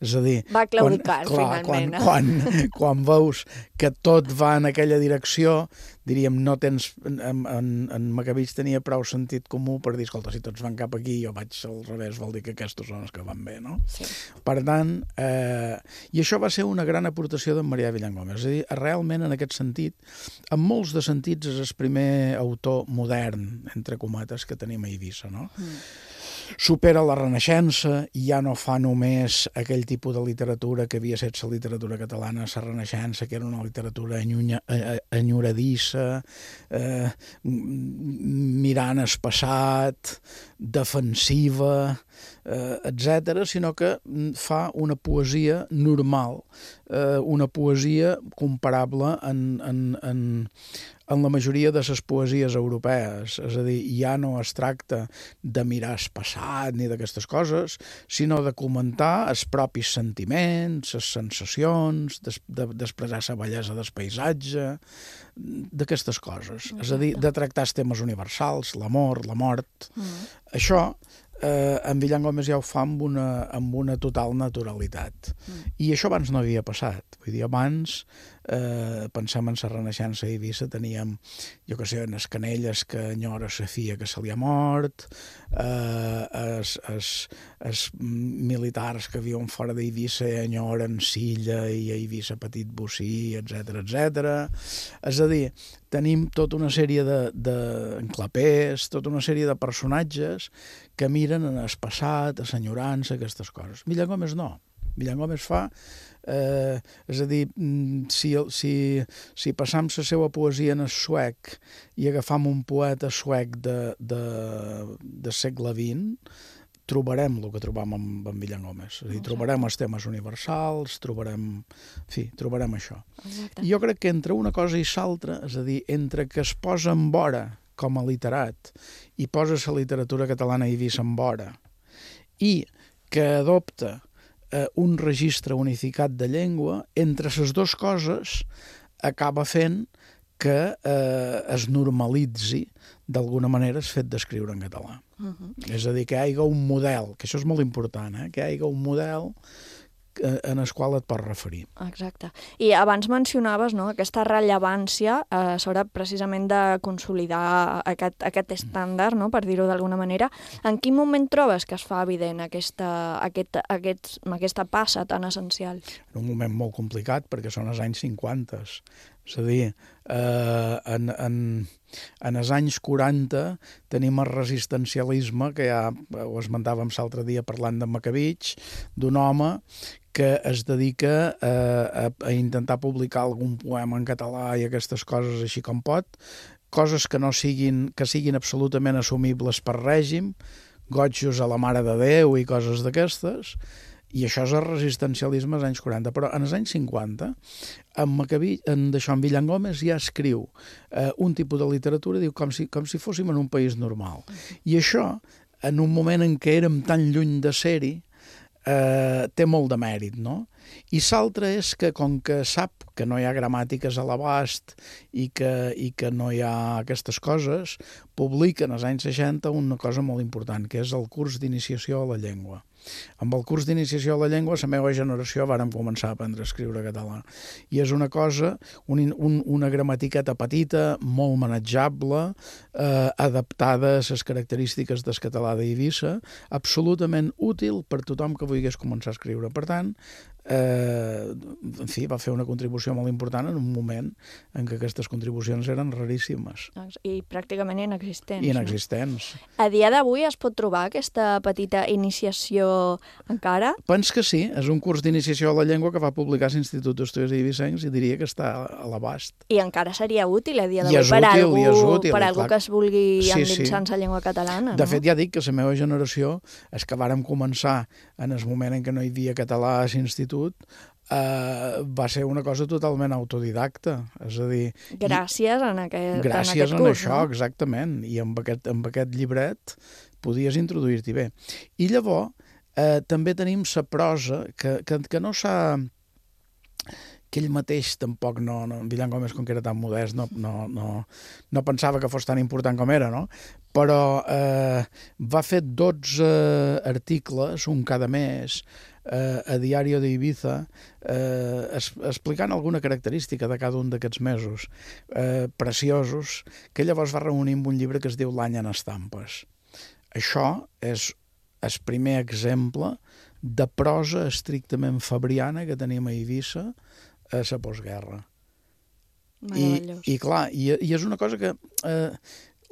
És a dir... Va claudicar, quan, clar, finalment. Quan, quan, quan veus que tot va en aquella direcció, diríem, no tens... En, en, en Macabich tenia prou sentit comú per dir, escolta, si tots van cap aquí, jo vaig al revés, vol dir que aquests són els que van bé, no? Sí. Per tant, eh, i això va ser una gran aportació d'en Marià Villangómez. És a dir, realment, en aquest sentit, en molts de sentits és el primer autor modern, entre cometes, que tenim a Eivissa, no? Mm. Supera la Renaixença i ja no fa només aquell tipus de literatura que havia estat la literatura catalana, la Renaixença, que era una literatura enyonya, enyoradissa, eh, mirant el passat, defensiva, eh, etcètera, sinó que fa una poesia normal, eh, una poesia comparable en, en, en, en la majoria de les poesies europees. És a dir, ja no es tracta de mirar el passat ni d'aquestes coses, sinó de comentar els propis sentiments, les sensacions, d'expressar la bellesa del paisatge, d'aquestes coses. És a dir, de tractar els temes universals, l'amor, la mort. Mm. Això, eh, en Villan Gómez ja ho fa amb una, amb una total naturalitat. Mm. I això abans no havia passat. Vull dir, abans, eh, pensem en la Renaixença a Eivissa, teníem, jo que sé, les canelles que enyora sa filla que se li ha mort, eh, els, els, els militars que viuen fora d'Eivissa enyoren Silla i a Eivissa Petit Bocí, etcètera, etcètera. És a dir, tenim tota una sèrie d'enclapers, tota una sèrie de personatges que miren en el passat, a l'enyorança, aquestes coses. Villan Gómez no. Villan Gómez fa, eh, és a dir, si, si, si passam la seva poesia en el suec i agafam un poeta suec de, de, de segle vint, trobarem el que trobam amb, amb Villan Gómez. És a dir, trobarem els temes universals, trobarem, en fi, trobarem això. Exacte. I jo crec que entre una cosa i l'altra, és a dir, entre que es posa en vora com a literat i posa la literatura catalana a Eivissa en vora i que adopta eh, un registre unificat de llengua, entre les dues coses acaba fent que eh, es normalitzi d'alguna manera el fet d'escriure en català. Uh-huh. És a dir, que hi hagi un model, que això és molt important, eh? que hi hagi un model en el qual et pots referir. Exacte. I abans mencionaves, no?, aquesta rellevància eh, sobre precisament de consolidar aquest, aquest estàndard, no?, per dir-ho d'alguna manera. En quin moment trobes que es fa evident aquesta, aquest, aquest, aquesta passa tan essencial? En un moment molt complicat, perquè són els anys cinquanta. És a dir, eh, en, en, en els anys quaranta tenim el resistencialisme, que ja ho esmentàvem l'altre dia parlant de Macavich, d'un home que es dedica a, a, a intentar publicar algun poema en català i aquestes coses així com pot, coses que no siguin, que siguin absolutament assumibles per règim, gotjos a la Mare de Déu i coses d'aquestes, i això és el resistencialisme als anys quaranta. Però en els anys cinquanta, en, Macavich, en, d'això, en Villan Gómez ja escriu eh, un tipus de literatura, diu, com si, com si fóssim en un país normal. I això, en un moment en què érem tan lluny de ser-hi, eh, té molt de mèrit, no? I l'altre és que, com que sap que no hi ha gramàtiques a l'abast i que, i que no hi ha aquestes coses, publica en els anys seixanta una cosa molt important, que és el curs d'iniciació a la llengua. Amb el curs d'iniciació a la llengua, la meva generació vàrem començar a aprendre a escriure català. I és una cosa, un, un, una gramatiqueta petita, molt manejable, eh, adaptada a les característiques del català d'Eivissa, absolutament útil per tothom que volgués començar a escriure. Per tant, eh, en fi, va fer una contribució molt important en un moment en què aquestes contribucions eren raríssimes. I pràcticament inexistents. I inexistents. No? A dia d'avui es pot trobar aquesta petita iniciació encara? Pens que sí, és un curs d'iniciació a la llengua que va publicar l'Institut d'Estudis Eivissencs i diria que està a l'abast. I encara seria útil a dia d'avui per a algú, per a algú que es vulgui sí, endinsar en la llengua catalana. De no? fet, ja dic que la meva generació, és que vàrem començar en el moment en què no hi havia català a l'institut, Uh, va ser una cosa totalment autodidacta, és a dir... Gràcies en aquest, gràcies en aquest en curs, això, no? Exactament, i amb aquest, amb aquest llibret podies introduir-t'hi bé. I llavors eh, també tenim la prosa que, que, que no s'ha... que ell mateix tampoc no... no Villan Gómez, com que era tan modest, no, no, no, no pensava que fos tan important com era, no? Però eh, va fer dotze articles, un cada mes, eh, a Diario de Ibiza, eh, es, explicant alguna característica de cada un d'aquests mesos, eh, preciosos, que llavors va reunir en un llibre que es diu L'any en estampes. Això és el primer exemple de prosa estrictament fabriana que tenim a Eivissa a la postguerra. I, i clar, i, i és una cosa que eh,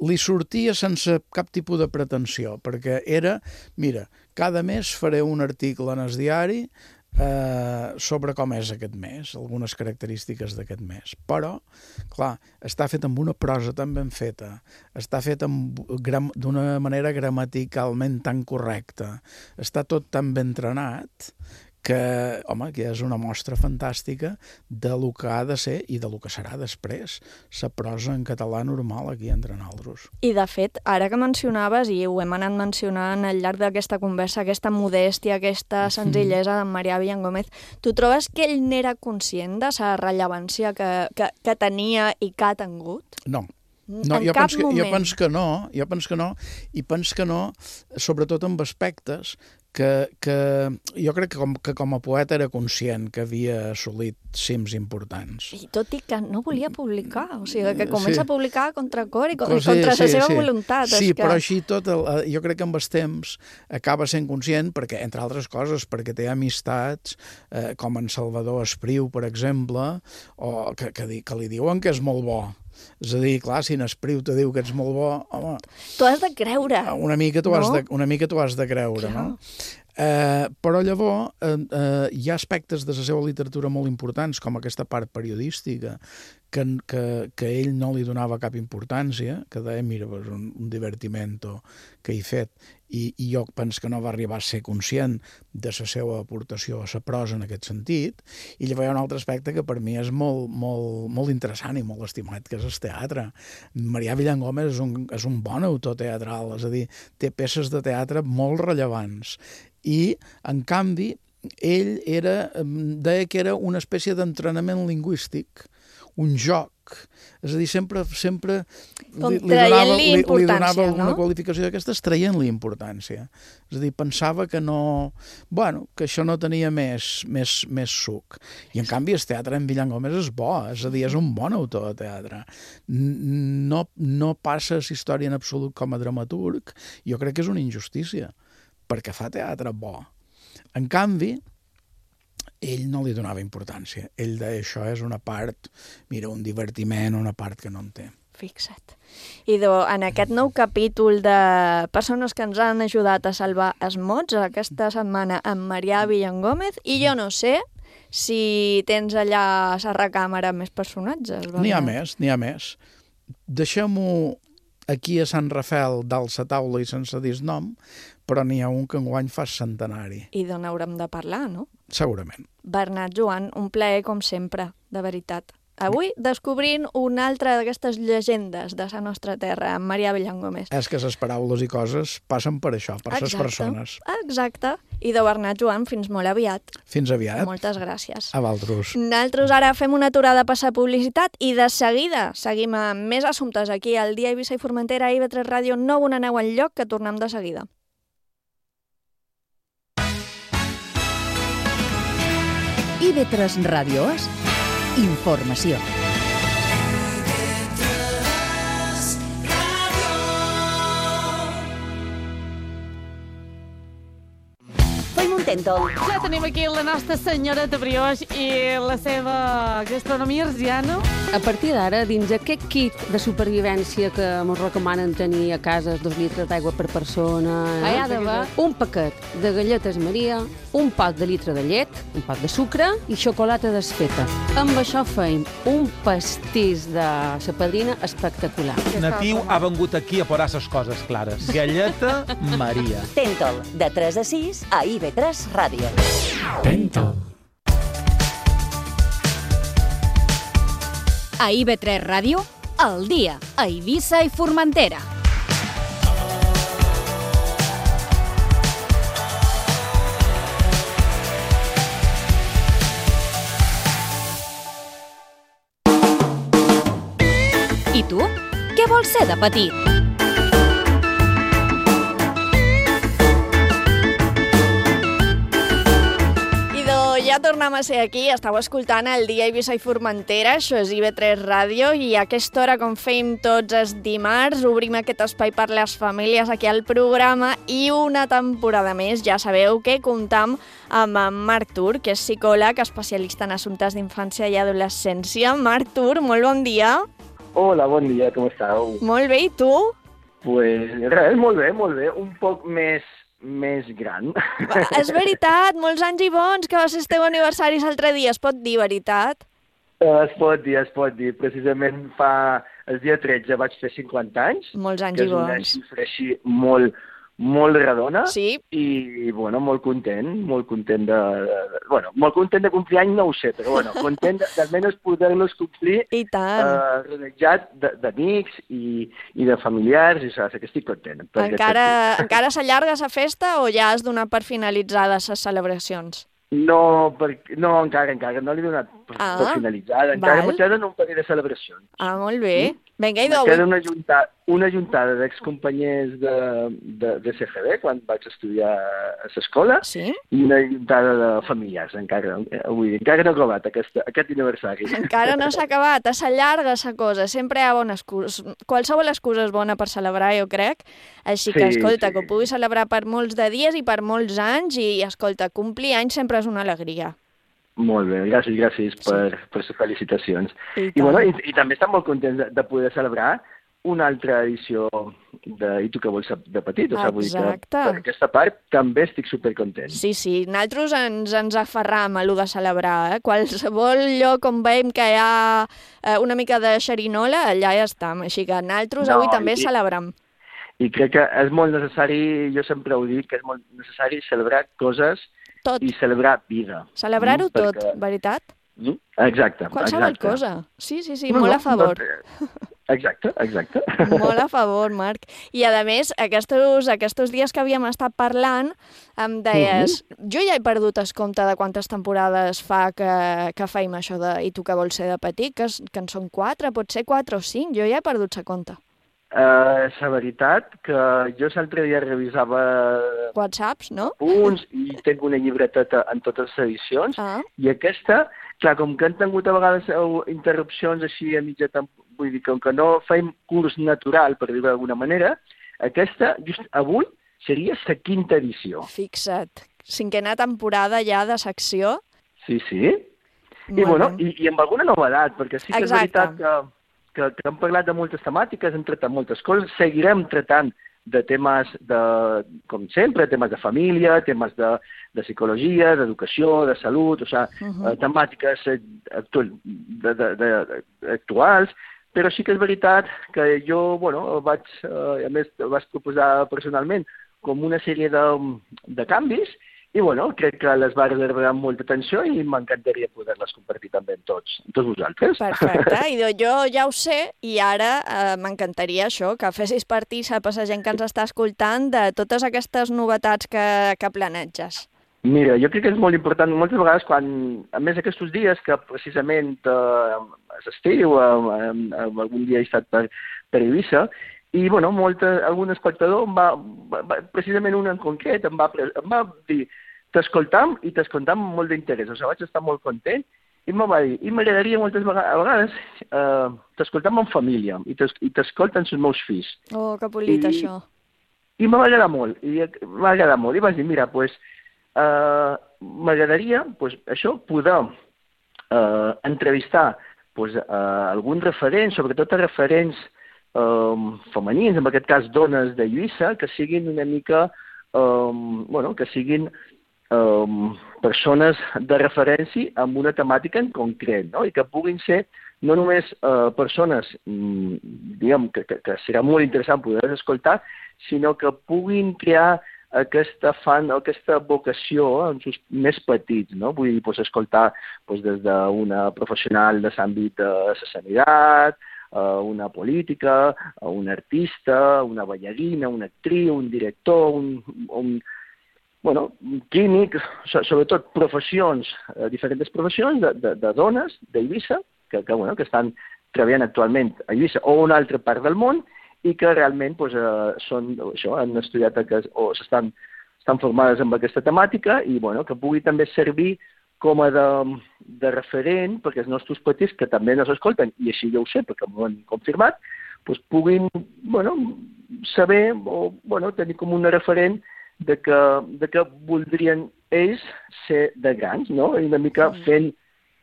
li sortia sense cap tipus de pretensió, perquè era, mira, cada mes faré un article en el diari eh, sobre com és aquest mes, algunes característiques d'aquest mes. Però, clar, està fet amb una prosa tan ben feta, està fet d'una manera gramaticalment tan correcta, està tot tan ben entrenat, que, home, que és una mostra fantàstica de lo que ha de ser i de lo que serà després, la prosa en català normal aquí entre nosaltres. I, de fet, ara que mencionaves, i ho hem anat mencionant al llarg d'aquesta conversa, aquesta modèstia, aquesta senzillesa d'en Marià Villangómez, tu trobes que ell n'era conscient de la rellevància que, que, que tenia i que ha tingut? No. No, en jo cap penso que, moment. jo penso que no, jo penso que no, i penso que no, sobretot amb aspectes que, que jo crec que com, que com a poeta era conscient que havia assolit cims importants. I tot i que no volia publicar, o sigui, que comença Sí. a publicar a contracor i Però contra sí, la sí, seva sí. voluntat. Sí, és que... però així tot, el, jo crec que amb els temps acaba sent conscient, perquè, entre altres coses, perquè té amistats, eh, com en Salvador Espriu, per exemple, o que, que, di- que li diuen que és molt bo. És a dir, clar, si en Espriu te diu que ets molt bo, home, Tu has de creure. una mica t'ho has, no? de, una mica t'ho has de creure, Clar. no? Eh, però llavors eh, eh, hi ha aspectes de la seva literatura molt importants, com aquesta part periodística, que, que, que ell no li donava cap importància, que deia, mira, és un, un divertimento que he fet, i, i jo penso que no va arribar a ser conscient de la seva aportació a la prosa en aquest sentit, i llavors hi ha un altre aspecte que per mi és molt, molt, molt interessant i molt estimat, que és el teatre. Marià Villangómez és un, és un bon autor teatral, és a dir, té peces de teatre molt rellevants, i, en canvi, ell era, deia que era una espècie d'entrenament lingüístic, un joc, és a dir, sempre, sempre li, li donava, li, li donava alguna no? qualificació d'aquestes traient-li importància. És a dir, pensava que no... Bueno, que això no tenia més, més, més suc. I, en canvi, el teatre en Villangómez és bo, és a dir, és un bon autor de teatre. No, no passa la història en absolut com a dramaturg, jo crec que és una injustícia, perquè fa teatre bo. En canvi, ell no li donava importància. Ell deia, això és una part, mira, un divertiment, una part que no en té. Fixa't. I do, en aquest nou capítol de persones que ens han ajudat a salvar els mots, aquesta setmana amb Marià Villangómez, i jo no sé si tens allà a la recàmera més personatges. N'hi ha més, n'hi ha més. Deixem-ho aquí a Sant Rafel, dalt la taula i sense dir nom, però n'hi ha un que enguany fa centenari. I d'on haurem de parlar, no? Segurament. Bernat Joan, un plaer com sempre, de veritat. Avui descobrint una altra d'aquestes llegendes de la nostra terra, amb Marià Villangómez. És que les paraules i coses passen per això, per les persones. Exacte. I de Bernat Joan, fins molt aviat. Fins aviat. Moltes gràcies. A vosaltres. Nosaltres ara fem una aturada a passar publicitat i de seguida seguim amb més assumptes aquí al Dia Eivissa i Formentera a I V tres Ràdio. No on aneu enlloc, que tornem de seguida. I V tres Ràdio és informació. Fem un tèntol. Ja tenim aquí la nostra senyoreta Brioix i la seva gastronomia arsiana. A partir d'ara, dins aquest kit de supervivència que ens recomanen tenir a casa, dos litres d'aigua per persona, eh? hi ha d'haver un paquet de galletes Maria, un pot de litre de llet, un pot de sucre i xocolata desfeta. Amb això feim un pastís de sa padrina espectacular. Natiu ha vengut aquí a posar les coses clares. Galleta Maria. Tèntol, de tres a sis a I V tres Ràdio. Tèntol. A I V tres Ràdio, al dia, a Eivissa i Formentera. I tu? Què vols ser de petit? Ja tornem a ser aquí, estàu escoltant el Dia Eivissa i Formentera, això és I V tres Ràdio, i a aquesta hora, com fem tots els dimarts, obrim aquest espai per les famílies aquí al programa, i una temporada més, ja sabeu que comptam amb en Marc Tur, que és psicòleg, especialista en assumptes d'infància i adolescència. Marc Tur, molt bon dia. Hola, bon dia, com estàu? Molt bé, i tu? Pues res, molt bé, molt bé, un poc més... més gran. És veritat, molts anys i bons, que va ser el teu aniversari l'altre dia, es pot dir, veritat? Es pot dir, es pot dir. Precisament fa... el dia tretze vaig fer cinquanta anys. Molts anys i bons. Que és una xifra així molt, molt redona sí. i, bueno, molt content, molt content de, de... Bueno, molt content de complir any, no ho sé, però, bueno, content d'almenys poder-los complir I tant. Eh, rodejat d'amics i, i de familiars, i saps que estic content. Encara, encara s'allarga la festa o ja has donat per finalitzades les celebracions? No, per, no, encara, encara, no l'he donat per, ah, per finalitzada. Encara val. me queden un parell de celebracions. Ah, molt bé. Mm? Vinga, me queda una juntada, una juntada d'excompanyers de, de, de C G B, quan vaig estudiar a l'escola, sí? I una juntada de familiars, encara. Avui, encara no he acabat aquest, aquest aniversari. Encara no s'ha acabat, s'allarga la cosa, sempre hi ha bones excuses. Qualsevol excusa és bona per celebrar, jo crec. Així que, sí, escolta, sí. que ho puguis celebrar per molts de dies i per molts anys, i, escolta, complir anys sempre és una alegria. Molt bé, gràcies, gràcies per, sí. per les felicitacions. I, I, bueno, i, i també estem molt contents de, de poder celebrar una altra edició de I tu què vols de petit. O sigui, vull dir que per aquesta part també estic supercontent. Sí, sí, nosaltres ens, ens aferram a allò de celebrar. Eh? Qualsevol lloc on veiem que hi ha eh, una mica de xerinola, allà ja estem. Així que nosaltres no, avui també i, celebrem. I crec que és molt necessari, jo sempre ho dic, que és molt necessari celebrar coses tot. I celebrar vida. Celebrar-ho mm, tot, perquè... veritat? Mm, exacte. Qualsevol exacte. cosa. Sí, sí, sí, no, molt no, a favor. No, exacte, exacte. Molt a favor, Marc. I, a més, aquests, aquests dies que havíem estat parlant, em deies, mm -hmm. jo ja he perdut el compte de quantes temporades fa que, que feim això de I tu que vols ser de petit, que, que en són quatre, potser quatre o cinc, jo ja he perdut la compte. Uh, la veritat que jo l'altre dia revisava WhatsApps, no? Punts i tinc una llibreteta en totes les edicions ah. i aquesta, clar, com que han tingut a vegades interrupcions així a mitja temp... vull dir, com que no feim curs natural, per dir-ho d'alguna manera, aquesta, just avui, seria la quinta edició. Fixa't, cinquena temporada ja de secció. Sí, sí. Molt I, bueno, i, i amb alguna novedat, perquè sí que Exacte. És veritat que Que, que hem parlat de moltes temàtiques, hem tratat moltes coses, seguirem tratant de temes, de, com sempre, temes de família, temes de, de psicologia, d'educació, de salut, o sigui, uh -huh. temàtiques actual, de, de, de, de, actuals, però sí que és veritat que jo, bueno, vaig, eh, a més, vaig proposar personalment com una sèrie de, de canvis. I, bueno, crec que les va rebre amb molta atenció i m'encantaria poder-les compartir també amb tots, amb tots vosaltres. Perfecte, i jo ja ho sé, i ara eh, m'encantaria això, que fessis partícip a la gent que ens està escoltant de totes aquestes novetats que, que planeges. Mira, jo crec que és molt important, moltes vegades, quan, a més aquests dies, que precisament eh, és estiu, eh, eh, algun dia he estat per, per Eivissa, i, bueno, molt, algun espectador em va, va, precisament un en concret, em va, em va dir, t'escoltam i t'escoltam amb molt d'interès, o sigui, vaig estar molt content, i em va dir, i m'agradaria moltes vegades, a vegades, eh, t'escoltam amb família, i t'escolten els meus fills. Oh, que polit, I, això. I m'ha agradat molt, i m'ha agradat molt, i vaig dir, mira, doncs, pues, eh, m'agradaria, pues, això, poder eh, entrevistar pues, eh, alguns referents, sobretot referents Um, femenins, en aquest cas dones de Lluïssa, que siguin una mica, um, bueno, que siguin um, persones de referència amb una temàtica en concret, no? I que puguin ser no només uh, persones, um, diguem, que, que, que serà molt interessant poder escoltar, sinó que puguin crear aquesta fan, aquesta vocació en els més petits, no? Vull dir, pues, escoltar pues, des d'una professional de l'àmbit de la sanitat, una política, un artista, una ballarina, una actriu, un director, un, un, bueno, un químic, sobretot professions, diferents professions de, de, de dones d'Eivissa, que, que, bueno, que estan treballant actualment a Eivissa o a una altra part del món i que realment pues, eh, són, això, han estudiat o s'estan estan formades amb aquesta temàtica i bueno, que pugui també servir com a de, de referent perquè els nostres petits, que també no s'escolten, i així jo ho sé perquè m'ho han confirmat, doncs puguin bueno, saber o bueno, tenir com una referent de que, de que voldrien ells ser de grans, no? I una mica fent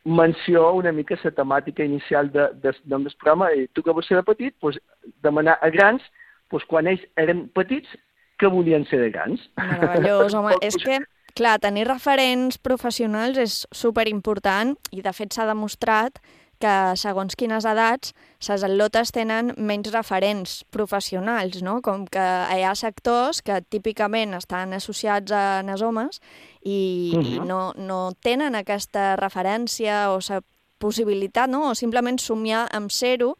menció una mica la temàtica inicial de, de, del programa, i tu que vols ser de petit, doncs demanar a grans, doncs quan ells eren petits, que volien ser de grans. Meravellós, home, és que clar, tenir referents professionals és superimportant i de fet s'ha demostrat que segons quines edats les atlotes tenen menys referents professionals, no? Com que hi ha sectors que típicament estan associats a els homes i, uh-huh. i no, no tenen aquesta referència o la possibilitat, no? O simplement somiar amb ser-ho,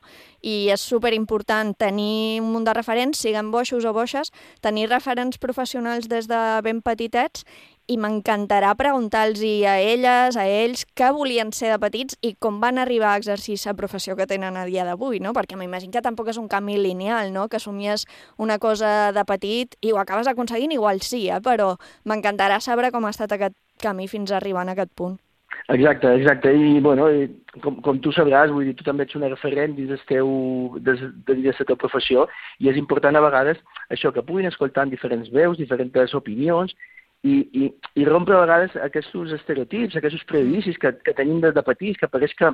i és superimportant tenir un munt de referents, siguin boixos o boixes, tenir referents professionals des de ben petitets, i m'encantarà preguntar-los a elles, a ells, què volien ser de petits i com van arribar a exercir la professió que tenen a dia d'avui, no? Perquè m'imagino que tampoc és un camí lineal, no? Que somies una cosa de petit i ho acabes aconseguint, igual sí, eh? Però m'encantarà saber com ha estat aquest camí fins a arribar a aquest punt. Exacte, exacte. I, bueno, com, com tu sabràs, vull dir, tu també ets una referent dins del teu, des, dins de la teva professió, i és important a vegades això, que puguin escoltar diferents veus, diferents opinions, i, i, i rompre a vegades aquests estereotips, aquests prejudicis que, que tenim des de petits, que pareix que,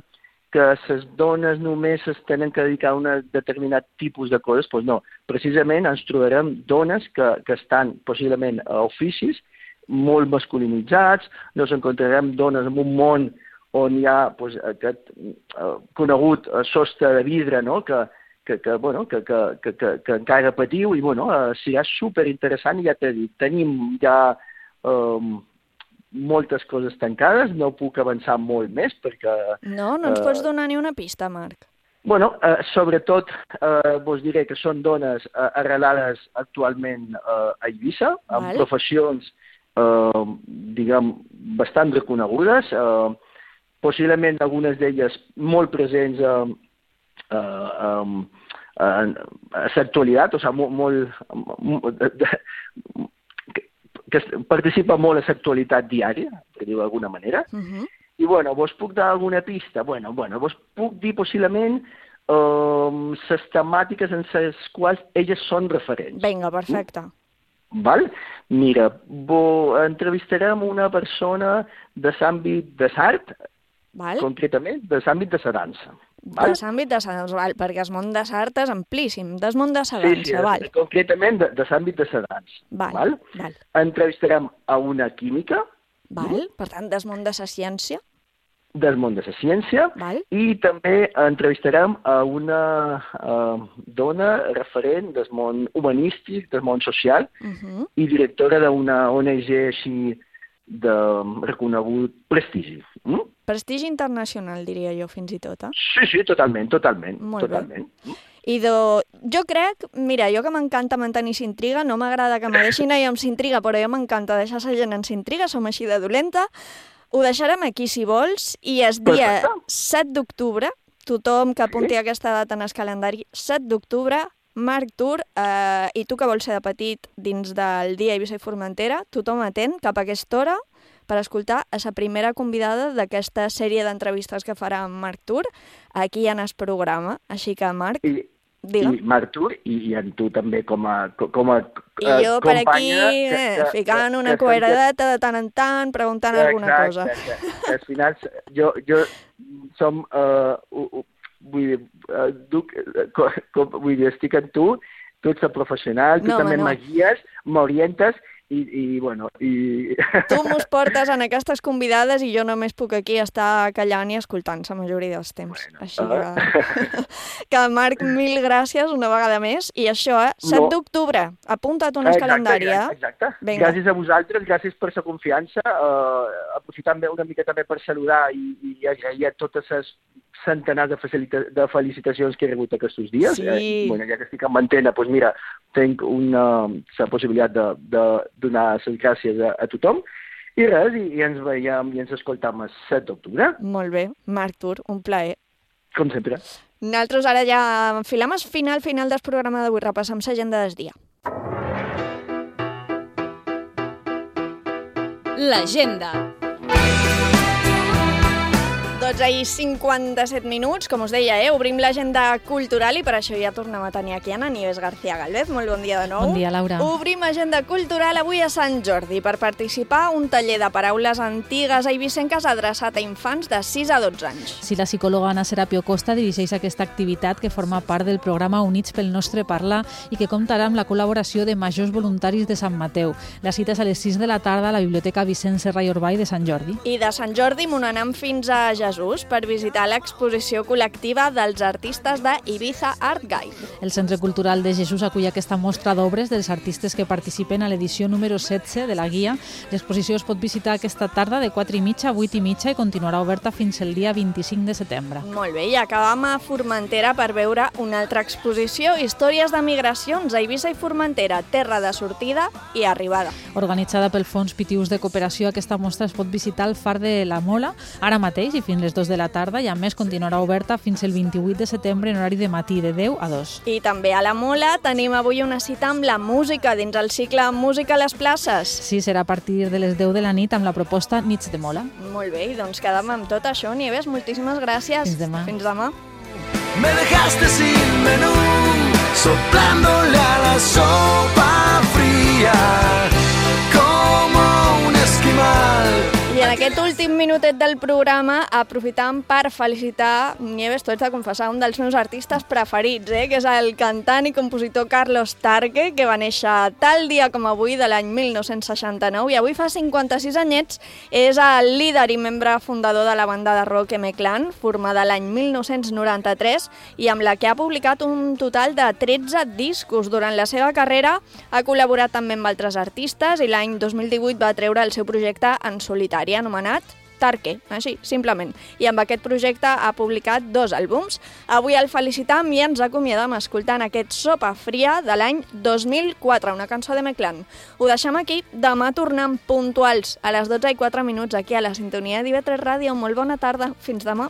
que les dones només es tenen que dedicar a un determinat tipus de coses. Doncs no, precisament ens trobarem dones que, que estan possiblement a oficis molt masculinitzats, nos encontrarem dones en un món on hi ha pues, aquest uh, conegut uh, sostre de vidre, no? que, que, que, bueno, que, que, que, que, que encara patiu, i bueno, uh, serà superinteressant, i ja t'he dit, tenim ja um, moltes coses tancades, no puc avançar molt més perquè... No, no ens uh, pots donar ni una pista, Marc. Bueno, eh, sobretot eh, vos diré que són dones eh, arrelades actualment eh, a Eivissa, amb vale. professions Uh, diguem, bastant reconegudes, uh, possiblement algunes d'elles molt presents uh, uh, um, uh, a l'actualitat, o sigui, molt, molt de, de, que, que participa molt a l'actualitat diària, per dir-ho d'alguna manera. Uh-huh. I, bueno, vos puc dar alguna pista? Bueno, bueno, vos puc dir possiblement uh, les temàtiques en les quals elles són referents. Vinga, perfecte. Uh? Val? Mira, bo, entrevistarem una persona de l'àmbit de l'art, concretament de l'àmbit de la dansa. Val? De l'àmbit de la dansa, val, perquè el món de l'art és amplíssim, del món de la dansa, sí, sí, val? Concretament de, de l'àmbit de la dansa. Val, val? val. Entrevistarem a una química. Val, per tant, del món de la ciència. Del món de la ciència, val. I també entrevistarem a una uh, dona referent del món humanístic, del món social, uh-huh. i directora d'una O N G així de reconegut prestigi. Mm? Prestigi internacional, diria jo, fins i tot, eh? Sí, sí, totalment, totalment. Molt totalment. bé. I do, jo crec, mira, jo que m'encanta mantenir s'intriga, no m'agrada que me deixin allò amb s'intriga, però jo m'encanta deixar la gent en s'intriga, som així de dolenta. Ho deixarem aquí, si vols, i el dia set d'octubre, tothom que apunti sí. aquesta data en el calendari, set d'octubre, Marc Tur, eh, i tu que vols ser de petit dins del dia Eivissa i Formentera, tothom atent cap a aquesta hora per escoltar a la primera convidada d'aquesta sèrie d'entrevistes que farà en Marc Tur aquí en el programa. Així que, Marc, I, digue'm. I Marc Tur, i, i en tu també com a, com a I jo per aquí, que, eh, que, ficant que, una que, coeradeta de tant en tant, preguntant exacte, alguna cosa. Exacte, que al final jo, jo som, uh, uh, uh, vull dir, uh, duc, uh, com, vull dir, estic en tu, tu ets el professional, tu no, també no. me guies, m'orientes, i, i bueno, i... Tu mos portes en aquestes convidades i jo només puc aquí estar callant i escoltant la majoria dels temps. Bueno, Així que... que, Marc, mil gràcies una vegada més. I això, eh? set no. d'octubre. Apunta't un calendari, eh? Exacte. Vinga. Gràcies a vosaltres, gràcies per la confiança. Uh, aprofitant una mica també per saludar i, i agrair a totes les centenars de, de felicitacions que he rebut aquests dies. Sí. Eh, bueno, ja que estic en antena, doncs mira, tinc una, la possibilitat de, de donar les gràcies a, a tothom. I res, i, i ens veiem i ens escoltam el set d'octubre. Molt bé, Marc Tur, un plaer. Com sempre. Nosaltres ara ja enfilem el final, final del programa d'avui, repassem l'agenda del dia. L'agenda. dotze i cinquanta-set minuts, com us deia, eh? Obrim l'agenda cultural i per això ja tornem a tenir aquí Ana Nieves García Galvez. Molt bon dia de nou. Bon dia, Laura. Obrim agenda cultural avui a Sant Jordi per participar un taller de paraules antigues eivissenques adreçat a infants de sis a dotze anys. Sí, la psicòloga Ana Serapio Costa dirigeix aquesta activitat que forma part del programa Units pel Nostre Parla i que comptarà amb la col·laboració de majors voluntaris de Sant Mateu. La cita és a les sis de la tarda a la Biblioteca Vicent Serra i Orbay de Sant Jordi. I de Sant Jordi m'ho anem fins a Jesús Jesús per visitar l'exposició col·lectiva dels artistes de Ibiza Art Guide. El Centre Cultural de Jesús acull aquesta mostra d'obres dels artistes que participen a l'edició número setze de la guia. L'exposició es pot visitar aquesta tarda de quatre i mitja a vuit i mitja i continuarà oberta fins el dia vint-i-cinc de setembre. Molt bé, i acabam a Formentera per veure una altra exposició, Històries de migracions a Eivissa i Formentera, terra de sortida i arribada. Organitzada pel Fons Pitius de Cooperació, aquesta mostra es pot visitar al Far de la Mola ara mateix i fins les dues de la tarda, i a més continuarà oberta fins el vint-i-vuit de setembre en horari de matí de deu a dos. I també a la Mola tenim avui una cita amb la música dins el cicle Música a les places. Sí, serà a partir de les deu de la nit amb la proposta Nits de Mola. Molt bé, doncs quedem amb tot això. Nieves, moltíssimes gràcies. Fins demà. Fins demà. Me dejaste sin menú, soplándole a la sopa fría, como un esquimal. I en aquest últim minutet del programa aprofitam per felicitar, Nieves, tu ets de confessar, un dels meus artistes preferits, eh? que és el cantant i compositor Carlos Tarque, que va néixer tal dia com avui de l'any mil nou-cents seixanta-nou i avui fa cinquanta-sis anyets. És el líder i membre fundador de la banda de rock M-Clan, formada l'any mil nou-cents noranta-tres i amb la que ha publicat un total de tretze discos. Durant la seva carrera ha col·laborat també amb altres artistes i l'any dos mil divuit va treure el seu projecte en solitari, anomenat Tarque, així, simplement. I amb aquest projecte ha publicat dos àlbums. Avui el felicitam i ens acomiadam escoltant aquest Sopa Fria de l'any dos mil quatre, una cançó de M-Clan. Ho deixem aquí, demà tornem puntuals a les dotze i quatre minuts aquí a la sintonia d'I V tres Ràdio. Molt bona tarda, fins demà.